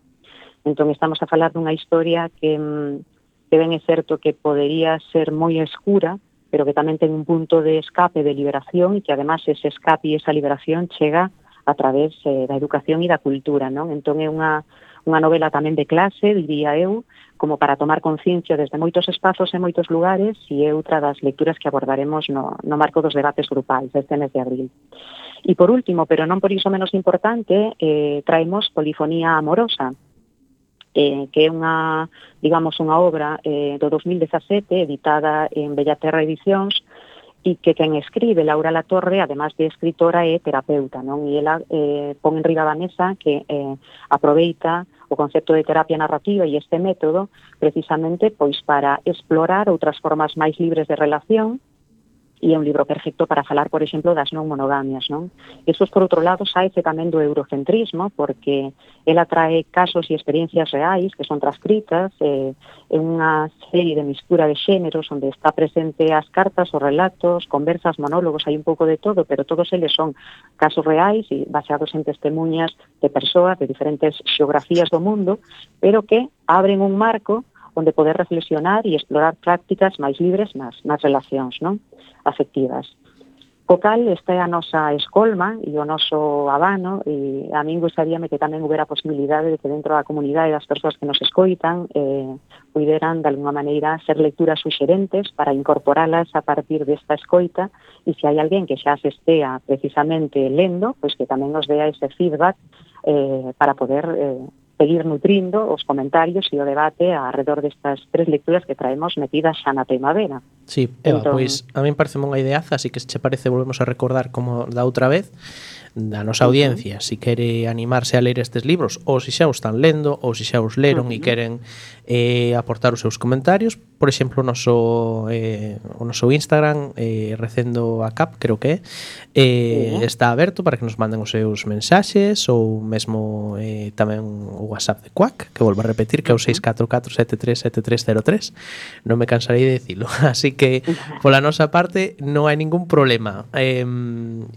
Entón, estamos a falar dunha historia que, que ben é certo que podería ser moi escura, pero que tamén ten un punto de escape, de liberación, e que, además, ese escape e esa liberación chega a través eh, da educación e da cultura, non? Entón, é unha unha novela tamén de clase, diría eu, como para tomar conciencia desde moitos espazos e moitos lugares, e é outra das lecturas que abordaremos no, no marco dos debates grupais este mes de abril. E, por último, pero non por iso menos importante, eh, traemos Polifonía amorosa, eh, que é unha, digamos, unha obra eh, do dos mil dezasete, editada en Bellaterra Edicións, e que quen escribe, Laura Latorre, además de escritora, é terapeuta, non? E ela eh, pon en riba da mesa que eh, aproveita o concepto de terapia narrativa e este método precisamente pois para explorar outras formas máis libres de relación, e é un libro perfecto para falar, por exemplo, das non monogamias, non? Isto, por outro lado, saese tamén do eurocentrismo, porque ela trae casos e experiencias reais que son transcritas eh, en unha serie de mistura de xéneros onde está presente as cartas, os relatos, conversas, monólogos, hai un pouco de todo, pero todos eles son casos reais e baseados en testemunhas de persoas de diferentes xeografías do mundo, pero que abren un marco onde poder reflexionar e explorar prácticas máis libres nas, nas relacións, non? Afectivas. Co cal, esta é a nosa escolma e o noso abano, e a min gustaríame que tamén houbera a posibilidade de que dentro da comunidade das persoas que nos escoitan eh, puderan, de alguma maneira, ser lecturas suxerentes para incorporalas a partir desta escoita, e se hai alguén que xa se estea precisamente lendo, pois que tamén nos dea ese feedback eh, para poder eh, seguir nutrindo os comentarios e o debate alrededor destas tres lecturas que traemos metidas xa na primavera. Sí, Eva, Entón, pois a min parece unha ideaza, así que se che parece volvemos a recordar como da outra vez da nosa audiencia, uh -huh. si quere animarse a ler estes libros, ou se xa os están lendo, ou se xa os leron uh -huh. e queren eh, aportar os seus comentarios, por exemplo, o noso, eh, o noso Instagram, eh, Recendo a Cap, creo que é, eh, uh -huh. está aberto para que nos manden os seus mensaxes, ou mesmo eh, tamén o WhatsApp de Quack, que volvo a repetir, que é o seis catro catro sete tres sete tres cero tres. Non me cansarei de dicilo. Así que, pola nosa parte, non hai ningún problema. Eh,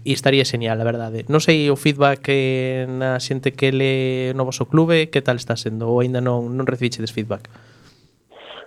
e estaría genial, a verdade. Non sei o feedback que na xente que le no voso clube, que tal está sendo? Ou aínda non, non recibichedes feedback?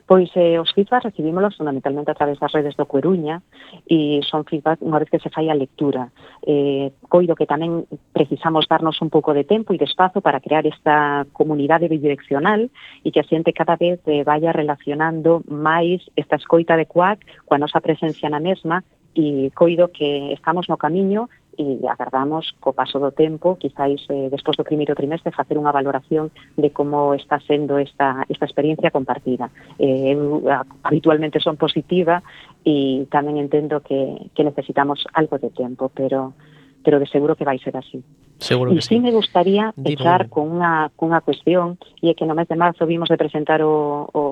Pois eh, os feedback recibímolos fundamentalmente a través das redes do Coruña e son feedback unha vez que se fai a lectura. Eh, coido que tamén precisamos darnos un pouco de tempo e de espazo para crear esta comunidade bidireccional e que a xente cada vez eh, vaya relacionando máis esta escoita de Quack coa nosa presencia na mesma e coido que estamos no camiño e agardamos co paso do tempo, quizáis eh, despois do primeiro trimestre, facer unha valoración de como está sendo esta, esta experiencia compartida. Eh, eu habitualmente son positiva e tamén entendo que, que necesitamos algo de tempo, pero pero de seguro que vai ser así. Seguro que e sí. me gustaría Dime. echar con unha, con unha cuestión, e é que no mes de marzo vimos de presentar o, o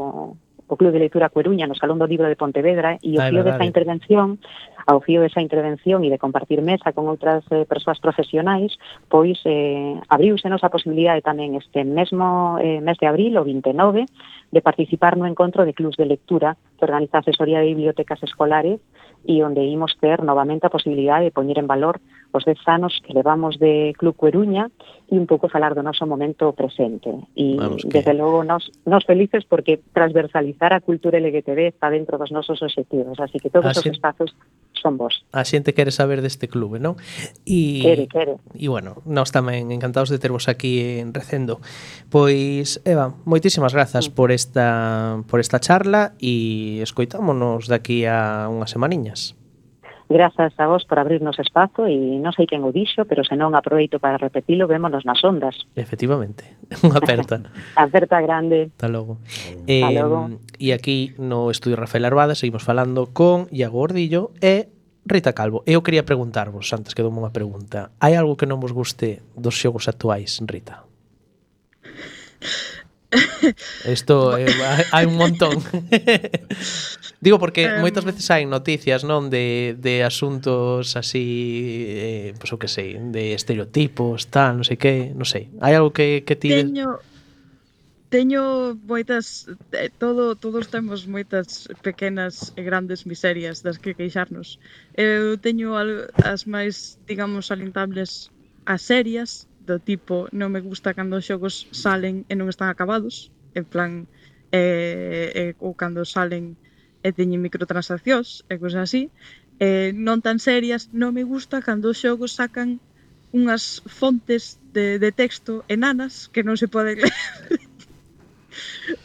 o Club de Lectura Coruña no Salón do Libro de Pontevedra e o Ai, fío desa intervención, ao fío desa intervención e de compartir mesa con outras eh, persoas profesionais, pois eh, abriuse nosa posibilidade tamén este mesmo eh, mes de abril, o vinte e nove, de participar no encontro de clubs de lectura que organiza a Asesoría de Bibliotecas Escolares e onde imos ter novamente a posibilidade de poñer en valor os dez anos que levamos de Club Coruña e un pouco falar do noso momento presente. E, que... desde logo, nos, nos felices porque transversalizar a cultura L G T B está dentro dos nosos obxectivos, así que todos os xente... espazos son vos. A xente quere saber deste clube, non? E, quere, quere. E, bueno, nós tamén encantados de tervos aquí en Recendo. Pois, Eva, moitísimas grazas sí. por esta por esta charla e escoitámonos daqui a unhas semaniñas. Grazas a vos por abrirnos espazo e non sei quen o dixo, pero se non aproveito para repetilo, vémonos nas ondas. Efectivamente, unha aperta. Aperta grande. Hasta logo. Eh, logo. E aquí no estudio Rafael Arbada seguimos falando con Iago Gordillo e Rita Calvo. Eu quería preguntarvos, antes que dou unha pregunta, hai algo que non vos guste dos xogos actuais, Rita? Isto eh, hai un montón. Digo porque um, moitas veces hai noticias, non, de, de asuntos así, eh, pois pues, o que sei, de estereotipos, tal, non sei que, non sei. Hai algo que, que ti... Teño, teño moitas, eh, todo, todos temos moitas pequenas e grandes miserias das que queixarnos. Eu teño as máis, digamos, salientables as serias, do tipo, non me gusta cando os xogos salen e non están acabados, en plan, eh, eh, ou cando salen e teñen microtransaccións e cosas así. Eh, non tan serias, non me gusta cando os xogos sacan unhas fontes de, de texto enanas que non se poden ler.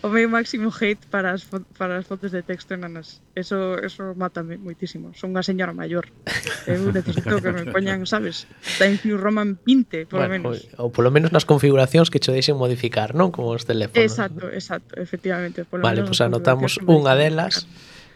O meu máximo hate para as, para as fontes de texto enanas. Eso, eso mátame moitísimo. Son unha señora maior. Eu necesito que me poñan, sabes, Times New Roman vinte, polo bueno, menos. Ou, ou polo menos nas configuracións que cho deixen modificar, non? Como os teléfonos. Exacto, exacto, efectivamente. Polo vale, pois pues anotamos unha delas.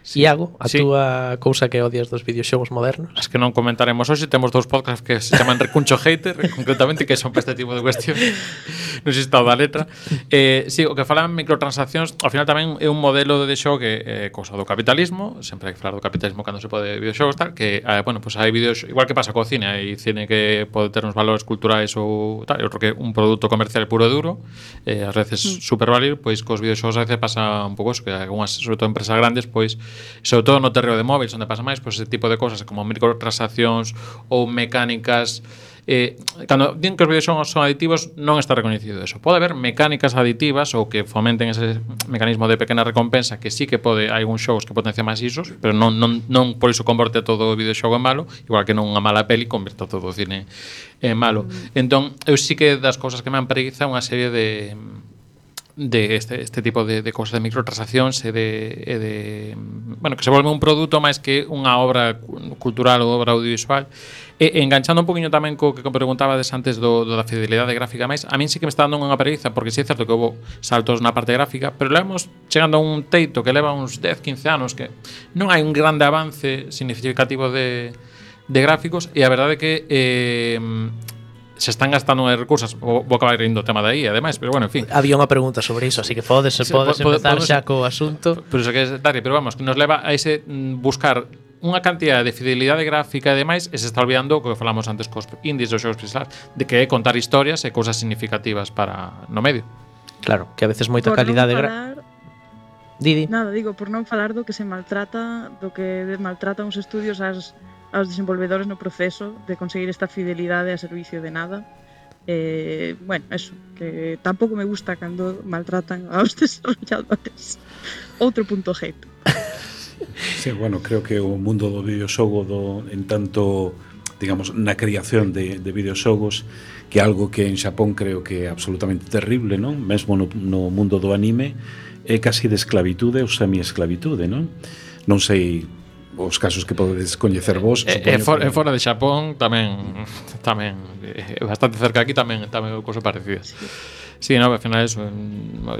Sí. Iago, a sí. túa cousa que odias dos videoxogos modernos? As que non comentaremos hoxe, temos dous podcasts que se chaman Recuncho Hater, concretamente, que son para este tipo de cuestión. Non sei se está da letra. Eh, sí, o que falan microtransaccións, ao final tamén é un modelo de xogo que é eh, cousa do capitalismo, sempre hai que falar do capitalismo cando se pode videoxogos, tal, que, eh, bueno, pues hai videos, igual que pasa co cine, hai cine que pode ter uns valores culturais ou tal, e outro que un produto comercial puro e duro, eh, ás veces mm. supervalir, pois cos videoxogos a veces pasa un pouco eso, que algunhas, sobre todo empresas grandes, pois sobre todo no terreo de móviles onde pasa máis, pois ese tipo de cosas como microtransaccións ou mecánicas eh, cando din que os videoxogos son aditivos non está reconhecido eso. Pode haber mecánicas aditivas ou que fomenten ese mecanismo de pequena recompensa que sí que pode, hai algúns xogos que potencian máis isos, pero non, non, non por iso converte todo o videoxogo en malo, igual que non unha mala peli converte todo o cine en malo. Mm. Entón, eu sí que das cousas que me han preguiza unha serie de de este, este tipo de, de cosas de microtransaccións e de, e de bueno, que se volve un produto máis que unha obra cultural ou obra audiovisual. E, enganchando un poquinho tamén co que preguntabades antes do, do da fidelidade gráfica máis, a min sí que me está dando unha preguiza, porque sí é certo que houve saltos na parte gráfica, pero levamos chegando a un teito que leva uns dez, quince anos que non hai un grande avance significativo de de gráficos e a verdade é que eh, se están gastando en recursos, vou acabar indo o tema de aí, ademais, pero bueno, en fin. Había unha pregunta sobre iso, así que podes, Sí, podes po- empezar podemos- xa co asunto. Por iso que é Daria, pero vamos, que nos leva a ese mm, buscar unha cantidad de fidelidade gráfica e demais, e se está olvidando o que falamos antes cos indies dos xogos pixelados, de que é contar historias e cousas significativas para no medio. Claro, que a veces moita Por non calidade gra... falar, Didi. nada, digo, por non falar do que se maltrata, do que maltratan os estudios ás, aos desenvolvedores no proceso de conseguir esta fidelidade a servicio de nada. Eh, bueno, eso, que tampouco me gusta cando maltratan aos desarrolladores. Outro punto hate. Sí, bueno, creo que o mundo do videoxogo do, en tanto, digamos, na creación de, de videoxogos, que é algo que en Xapón creo que é absolutamente terrible, non? Mesmo no, no mundo do anime, é casi de esclavitude ou semi-esclavitude, non? Non sei os casos que podedes coñecer vos. E, e, for, que... e fora de Xapón tamén tamén eh, bastante cerca aquí tamén tamén cousa parecida. Sí. Sí, no, ao final eso,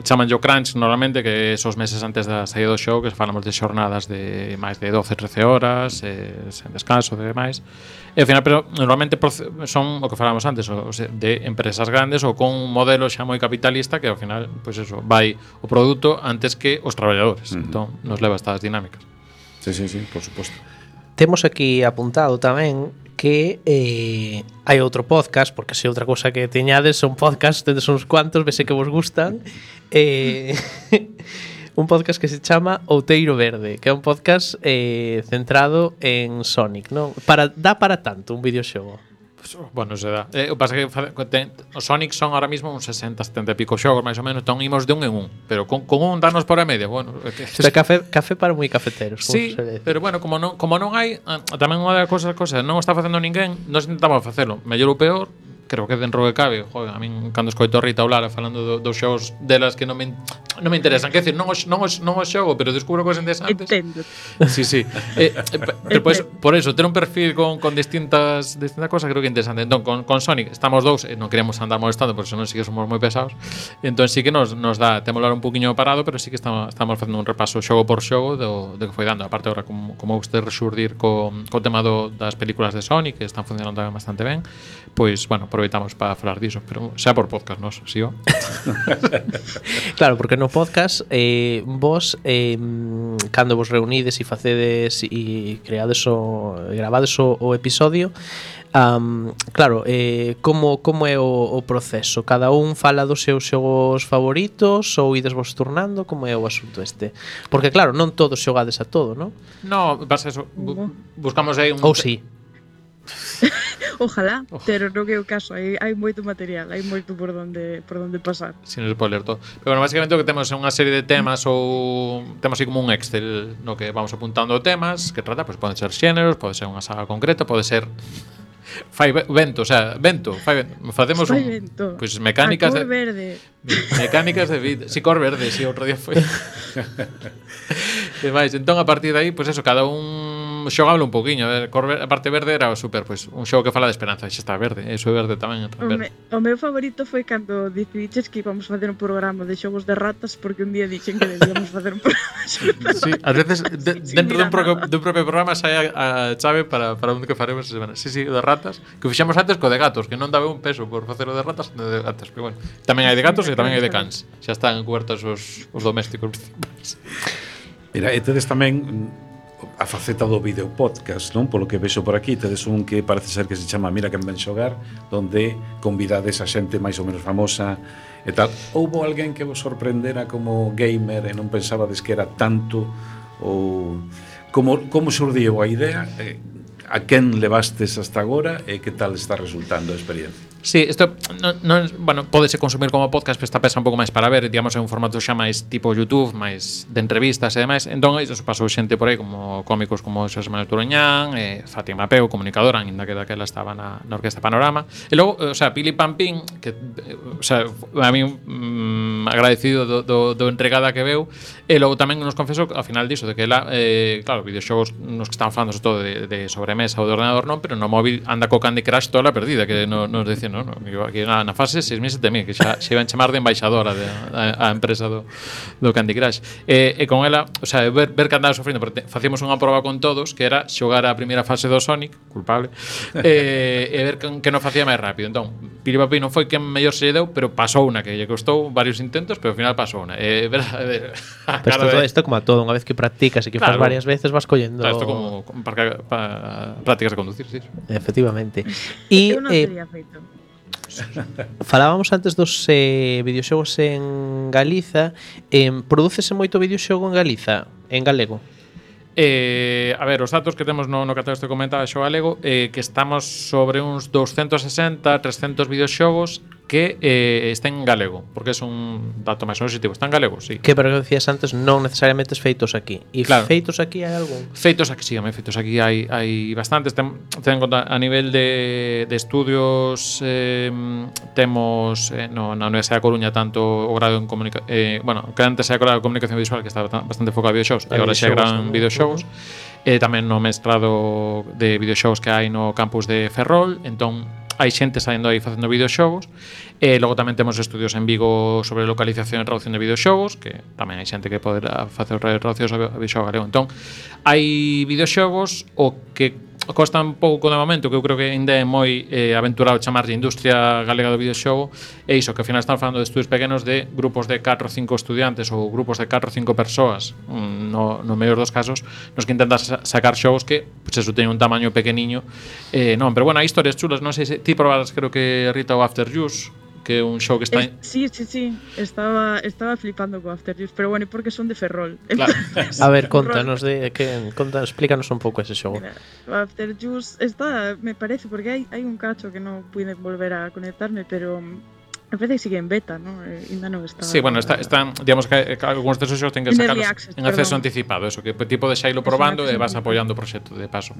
chaman yo crunch normalmente, que esos meses antes da saída do show, que falamos de xornadas de máis de doce trece horas, eh, sen descanso e demais. E ao final, pero normalmente son o que falamos antes, o sea, de empresas grandes ou con un modelo xa moi capitalista que ao final, pois pues eso, vai o produto antes que os traballadores. Uh-huh. Entón, nos leva a estas dinámicas. Sí, sí, sí, por suposto. Temos aquí apuntado tamén que eh, hai outro podcast, porque se outra cousa que teñades son podcast, tedes uns cuantos, vese que vos gustan. Eh, un podcast que se chama Outeiro Verde, que é un podcast eh, centrado en Sonic, non? Para, dá para tanto un videoxogo? Bueno, se dá. Eh, o pasa que ten, os Sonic son ahora mismo uns sesenta, setenta e pico xogos, máis ou menos, entón imos de un en un, pero con, con un darnos por a media, bueno. Isto é café, café para moi cafeteros. Sí, pero bueno, como non, como non hai, tamén unha das cousas, cousas non o está facendo ninguén, nós intentamos facelo, mellor ou peor, creo que dentro que cabe, joder, a min cando escoito a Rita Olara falando do, dos xogos delas que non me non me interesan, quer decir, non os non os non os xogo, pero descubro cousas interesantes. Entendo. Sí, sí. Eh, eh, pero pues, por eso, ter un perfil con, con distintas distintas cosas creo que é interesante. Entón, con, con Sonic estamos dous e non queremos andar molestando, porque senón sí que somos moi pesados. Entón sí que nos, nos dá, temos un poquinho parado, pero sí que estamos, estamos facendo un repaso xogo por xogo do, do que foi dando. Aparte, agora, como, como usted resurdir co, co tema do, das películas de Sonic, que están funcionando bastante ben, pois, bueno, aproveitamos para falar diso, pero xa por podcast, nos, si o. Claro, porque no podcast eh, vos eh, cando vos reunides e facedes e creades o gravades o, o episodio, um, claro, eh, como, como é o, o proceso? Cada un fala dos seus xogos favoritos ou ides vos turnando? Como é o asunto este? Porque claro, non todos xogades a todo, non? No, pasa eso, bu buscamos aí un... Ou si? Ojalá, pero non é o caso, hai, hai moito material, hai moito por onde por onde pasar. Sin spoiler todo. Pero bueno, básicamente o que temos é unha serie de temas ou temos así como un Excel no que vamos apuntando temas que trata, pois pues, poden ser xéneros, pode ser unha saga concreta, pode ser fai vento, o sea, vento, fai vento. Facemos fai un vento. Pois pues, mecánicas a cor de verde. mecánicas de vida, si cor verde, si outro día foi. E máis, entón a partir de aí, pois pues eso, cada un xogable un poquinho, a ver, cor ver, a parte verde era o super, pois pues, un xogo que fala de esperanza, xa está verde, eso é verde tamén, O, me, o meu favorito foi cando decidiches que íbamos facer un programa de xogos de ratas, porque un día dixen que debíamos facer un programa de xogos de ratas. Sí, ás veces de, sí, dentro dun, pro, nada. dun propio programa sai a, a chave para, para un que faremos esa semana. Sí, sí, de ratas, que fixemos antes co de gatos, que non daba un peso por facer o de ratas, no de gatos, pero bueno, tamén hai de gatos e tamén hai de cans. Xa están cubertos os, os domésticos principais. Mira, e tedes tamén a faceta do video podcast, non? Polo que vexo por aquí, tedes un que parece ser que se chama Mira quen ven xogar, donde convidades a xente máis ou menos famosa e tal. Houbo alguén que vos sorprendera como gamer e non pensabades que era tanto, ou como, como xurdiu a idea, e a quen levastes hasta agora e que tal está resultando a experiencia? Sí, isto non, non, bueno, pódese consumir como podcast, pero está pensa un pouco máis para ver, digamos, en un formato xa máis tipo YouTube, máis de entrevistas e demais. Entón, iso pasou xente por aí como cómicos como Xosé Manuel Turoñán, eh, Fátima Peu, comunicadora, ainda que daquela estaba na, na Orquesta Panorama. E logo, o sea, Pili Pampín, que, o sea, a mí mm, agradecido do, do, do entregada que veu. E logo tamén nos confesou ao final diso de que ela, eh, claro, videoxogos nos que estaban falando sobre todo de, de sobremesa ou de ordenador non, pero no móvil anda co Candy Crush toda a perdida, que no, nos decían, non, no, aquí na, na fase seis mil, sete mil, que xa se iban chamar de embaixadora de, a, a empresa do, do Candy Crush. E, e con ela, o sea, ver, ver que andaba sofrindo, porque facíamos unha proba con todos, que era xogar a primeira fase do Sonic, culpable, e, e ver que, que non facía máis rápido. Entón, Piripapi non foi quen mellor se lle deu, pero pasou unha, que lle costou varios intentos, pero ao final pasou unha. E ver, ver a Pero cara todo de... isto como a todo, unha vez que practicas e que Claro. faz varias veces vas collendo. Claro, isto como, como para, para prácticas de conducir, sí. Efectivamente. E Eu non eh, teria feito. falábamos antes dos eh, videoxogos en Galiza. Eh, Prodúcese moito videoxogo en Galiza, en galego? Eh, a ver, os datos que temos no, no catálogo este comentaba xo galego, eh, que estamos sobre uns doscientos sesenta, trescentos videoxogos que eh, estén en galego, porque é un dato máis positivo. Está en galego, sí. Que, pero que decías antes, non necesariamente feitos aquí. E Claro. feitos aquí hai algún? Feitos aquí, sí, home, feitos aquí hai, hai bastantes. Ten, ten en conta a nivel de, de estudios, eh, temos eh, no, na Universidade da Coruña tanto o grado en comunicación, eh, bueno, que antes era o grado de comunicación visual, que estaba bastante enfocado a videoxogos, e A agora xa é videoxogos gran tamén. videoxogos. E tamén no mestrado de videoxogos que hai no campus de Ferrol, entón hai xente saindo aí facendo videoxogos. E logo tamén temos estudios en Vigo sobre localización e traducción de videoxogos, que tamén hai xente que poderá facer traduccións a videoxogo galego. Entón, hai videoxogos o que costa un pouco de momento, que eu creo que ainda é moi eh, aventurado chamarlle industria galega do videoxogo, é iso, que ao final están falando de estudios pequenos de grupos de catro ou cinco estudiantes ou grupos de catro ou cinco persoas, no, no mellor dos casos, nos que intentan sa sacar xogos que, pues eso, teñen un tamaño pequeniño. Eh, non, pero bueno, hai historias chulas, non sei se ti probaras, creo que Rita, o After Use, que é un show que está... Es, sí, sí, sí. Estaba, estaba flipando con After Use, pero bueno, porque son de Ferrol. Claro. A ver, contanos de que conta, explícanos un pouco ese xogo. Mira, o After Use está, me parece, porque hai, hai un cacho que non pude volver a conectarme, pero me parece que sigue en beta, ¿no? Eh, ainda non está... Sí, bueno, está, están, digamos que, que algúns desos xogos ten que En sacarlos early access, en acceso perdón. anticipado, eso, que tipo de xailo Es un probando e acceso vas anticipado. apoiando o proxecto de paso.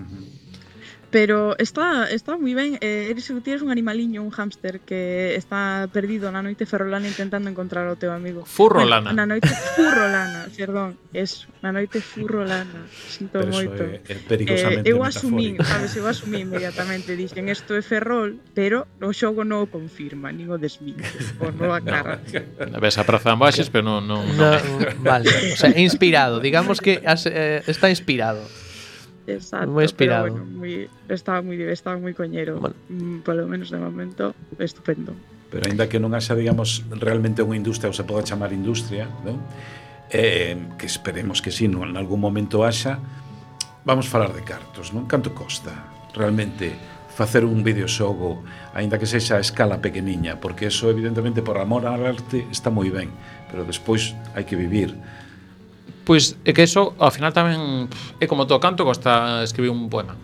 Pero está, está moi ben. Eh, eres, tienes un animaliño, un hámster que está perdido na noite ferrolana intentando encontrar ao teu amigo. Furrolana. Bueno, na noite furrolana, perdón. Eso, na noite furrolana. Sinto Pero moito. eso é, é perigosamente Eh, eu asumí, metafórico. sabes, eu asumí inmediatamente, dixen isto é Ferrol, pero o xogo non o confirma, nin o desminte, o non aclara. Ves a praza de Ambaxes, pero non... non, No, non. vale, o sea, inspirado, digamos que has, eh, está inspirado. Exacto, Moi inspirado. pero bueno, moi, estaba moi estaba moi coñero, Bueno. mm, polo menos de momento, estupendo. Pero aínda que non haxa, digamos, realmente unha industria ou se poda chamar industria, non? Eh, que esperemos que sí, non, en algún momento haxa, vamos falar de cartos, non? Canto costa realmente facer un videoxogo, aínda que sexa a escala pequeniña, porque eso evidentemente por amor ao arte está moi ben, pero despois hai que vivir. Pois é que eso, ao final tamén é como todo, canto costa escribir un poema.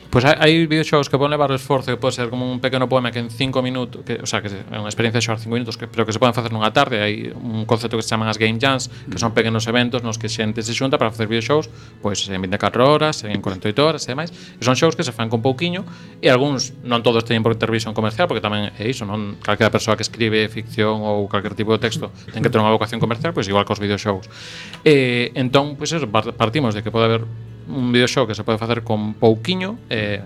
Pois hai, hai videoxogos que poden levar o esforzo, que pode ser como un pequeno poema que en cinco minutos, que, o sea, que é unha experiencia de xogar cinco minutos, que, pero que se poden facer nunha tarde. Hai un concepto que se chaman as game jams, que son pequenos eventos nos que xente se xunta para facer videoxogos, pois en vinte e catro horas, en cuarenta e oito horas e demais. E son xogos que se fan con pouquiño, e algúns, non todos teñen por ter visión comercial, porque tamén é iso, non calquera persoa que escribe ficción ou calquer tipo de texto ten que ter unha vocación comercial, pois igual cos videoxogos. E entón, pois eso, partimos de que pode haber un videoxogo que se pode facer con pouquiño, eh,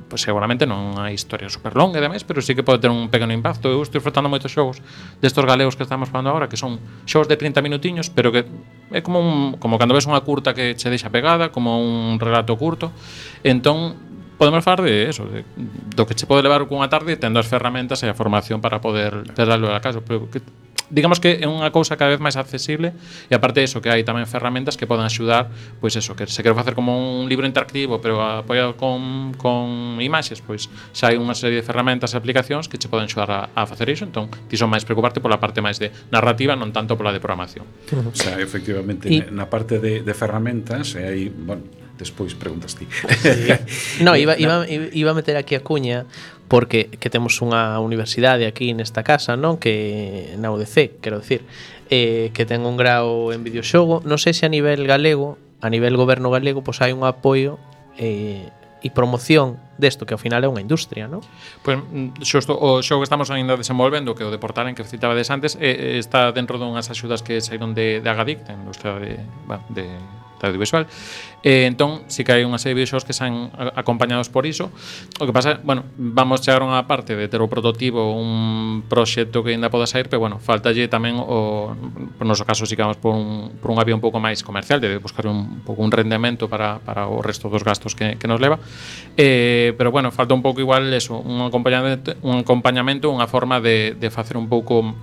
pois seguramente non hai historia super longa e demais, pero sí que pode ter un pequeno impacto. Eu estou disfrutando moitos xogos destos galegos que estamos falando agora, que son xogos de trinta minutiños, pero que é como un, como cando ves unha curta que che deixa pegada, como un relato curto. Entón, podemos falar de eso, de, do que che pode levar cunha tarde tendo as ferramentas e a formación para poder darlo a caso, pero que digamos que é unha cousa cada vez máis accesible, e aparte de eso que hai tamén ferramentas que poden axudar, pois eso, que se quero facer como un libro interactivo pero apoiado con, con imaxes, pois xa hai unha serie de ferramentas e aplicacións que che poden axudar a, a facer iso. Entón ti son máis preocuparte pola parte máis de narrativa, non tanto pola de programación. O sea, efectivamente, Y- na parte de, de ferramentas, e aí, bueno, despois preguntas ti. No, iba, iba, iba a meter aquí a cuña porque que temos unha universidade aquí nesta casa, non? Que na U D C, quero decir, eh, que ten un grau en videoxogo. Non sei se a nivel galego, a nivel goberno galego, pois hai un apoio eh, e promoción desto que ao final é unha industria, non? Pois xusto o xogo que estamos ainda desenvolvendo, que o de Portalen que citabades antes, eh, está dentro dunhas axudas que saíron de, de Agadic, da industria de, bueno, de de audiovisual. Eh, entón, si que hai unha serie de videoxogos que san acompañados por iso. O que pasa, bueno, vamos chegar a unha parte de ter o prototipo, un proxecto que ainda poda sair, pero bueno, faltalle tamén o, no noso caso, si que vamos por un, por unha vía un pouco máis comercial, de buscar un, un pouco un rendemento para, para o resto dos gastos que, que nos leva. Eh, pero bueno, falta un pouco igual eso, un acompañamento, un acompañamento, unha forma de, de facer un pouco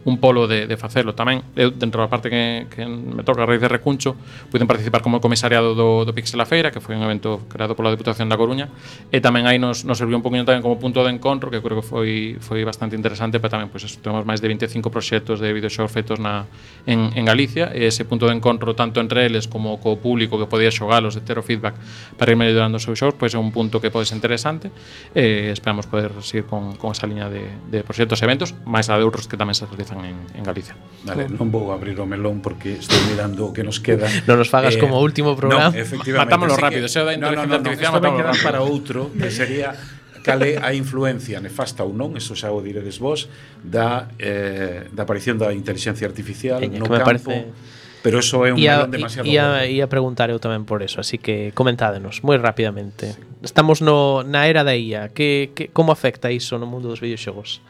un polo de, de facelo tamén. Eu, dentro da parte que, que me toca a raíz de Recuncho, puiden participar como comisariado do, do Pixel a Feira, que foi un evento creado pola Deputación da Coruña, e tamén aí nos, nos serviu un poquinho tamén como punto de encontro, que creo que foi, foi bastante interesante, pero tamén, pois, pues, temos máis de vinte e cinco proxectos de videoxogos feitos na, en, en Galicia, e ese punto de encontro tanto entre eles como co público que podía xogalos, de ter o feedback para ir mellorando os seus xogos, pois pues, é un punto que pode ser interesante, e esperamos poder seguir con, con esa liña de, de proxectos e eventos, máis a de outros que tamén se realizan En, en Galicia. Vale, non vou abrir o melón porque estou mirando o que nos queda. Non nos fagas eh, como último programa. No, efectivamente. Matámoslo rápido, xa da inteligencia artificial, matámoslo rápido. Para outro, que sería cale a influencia nefasta ou non, eso xa o diredes vos, da, eh, da aparición da inteligencia artificial Eña, no campo. Parece... Pero eso é un ia, melón demasiado ia, ia preguntar eu tamén por eso, así que comentádenos moi rapidamente. Sí. Estamos no, na era da I A. Que, que, como afecta iso no mundo dos videoxogos?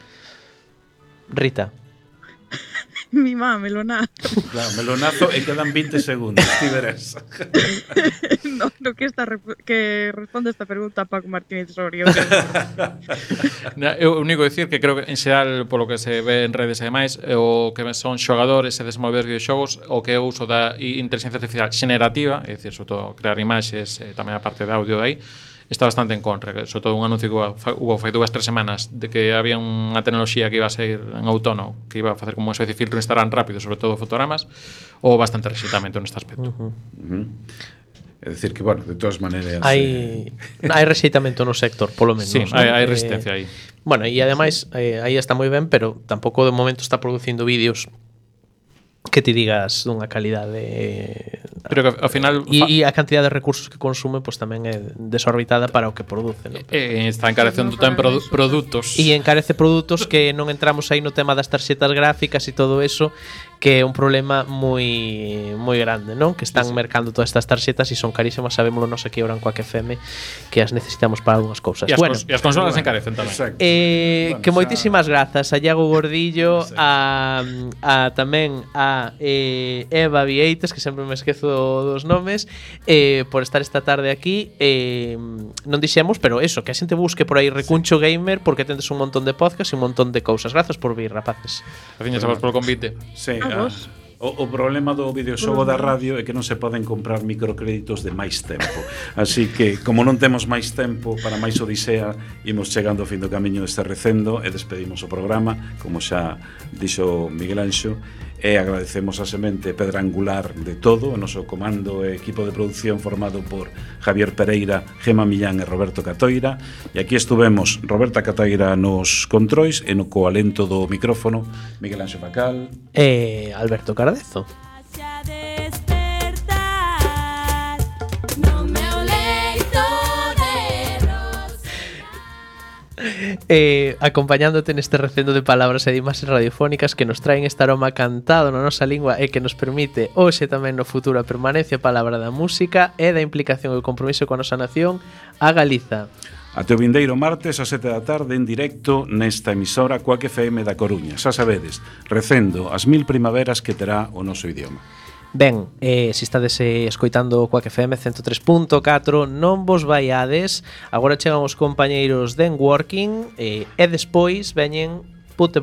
Rita. Mi má, melonazo. Claro, melonazo e quedan vinte segundos, ti verás. No, no que, esta, que responde esta pregunta Paco Martínez Soria. Eu único dicir que creo que en xeral, polo que se ve en redes e demais, o que son xogadores e desenvolver videoxogos, o que é o uso da inteligencia artificial xenerativa, é dicir, sobre todo crear imaxes e tamén a parte de audio de aí, está bastante en contra, sobre todo un anuncio que hubo fai dúas, tres semanas de que había unha tecnoloxía que iba a ser en outono, que iba a facer como unha especie de filtro Instagram rápido, sobre todo fotogramas, ou bastante rexeitamento neste aspecto. Uh -huh. Uh -huh. É dicir que, bueno, de todas maneiras hai eh... hai rexeitamento no sector, polo menos. Sí, hai, hai resistencia eh, aí. Bueno, e ademais eh, aí está moi ben, pero tampouco de momento está producindo vídeos que te digas dunha calidade, pero que ao final e, e a cantidad de recursos que consume pois pues, tamén é desorbitada para o que produce, ¿no? E está encarecendo tamén produ produtos e encarece produtos que non entramos aí no tema das tarxetas gráficas e todo eso, que é un problema moi moi grande, non? Que están sí, sí. mercando todas estas tarxetas e son carísimas, sabémoslo nos aquí ahora en Quack F M, que as necesitamos para algunhas cousas. E as, bueno, cons e as consolas bueno, encarecen tamén. Eh, bueno, que moitísimas xa... grazas a Iago Gordillo, a, a tamén a eh, Eva Vieites, que sempre me esquezo dos nomes, eh, por estar esta tarde aquí. Eh, non dixemos, pero eso, que a xente busque por aí Recuncho sí. Gamer, porque tendes un montón de podcast e un montón de cousas. Grazas por vir, rapaces. Gracias a vos polo convite. Sí, a, o, o problema do videoxogo da radio é que non se poden comprar microcréditos de máis tempo. Así que, como non temos máis tempo para máis odisea, imos chegando ao fin do camiño deste recendo e despedimos o programa, como xa dixo Miguel Anxo, e agradecemos a semente pedra angular de todo, o noso comando e equipo de producción formado por Javier Pereira, Gema Millán e Roberto Catoira, e aquí estuvemos Roberta Catoira nos controis e no coalento do micrófono Miguel Anxo Pacal e Alberto Cardezo. Eh, acompañándote neste recendo de palabras e de imaxes radiofónicas que nos traen este aroma cantado na nosa lingua e que nos permite hoxe tamén no futuro a permanencia a palabra da música e da implicación e o compromiso coa nosa nación, a Galiza. Até o vindeiro martes a sete da tarde en directo nesta emisora Quack F M da Coruña. Xa sabedes, recendo as mil primaveras que terá o noso idioma. Ben, eh, se estades eh, escoitando o Quack F M ciento tres punto catro, non vos vaiades. Agora chegan os compañeiros de Working eh, e despois veñen Put the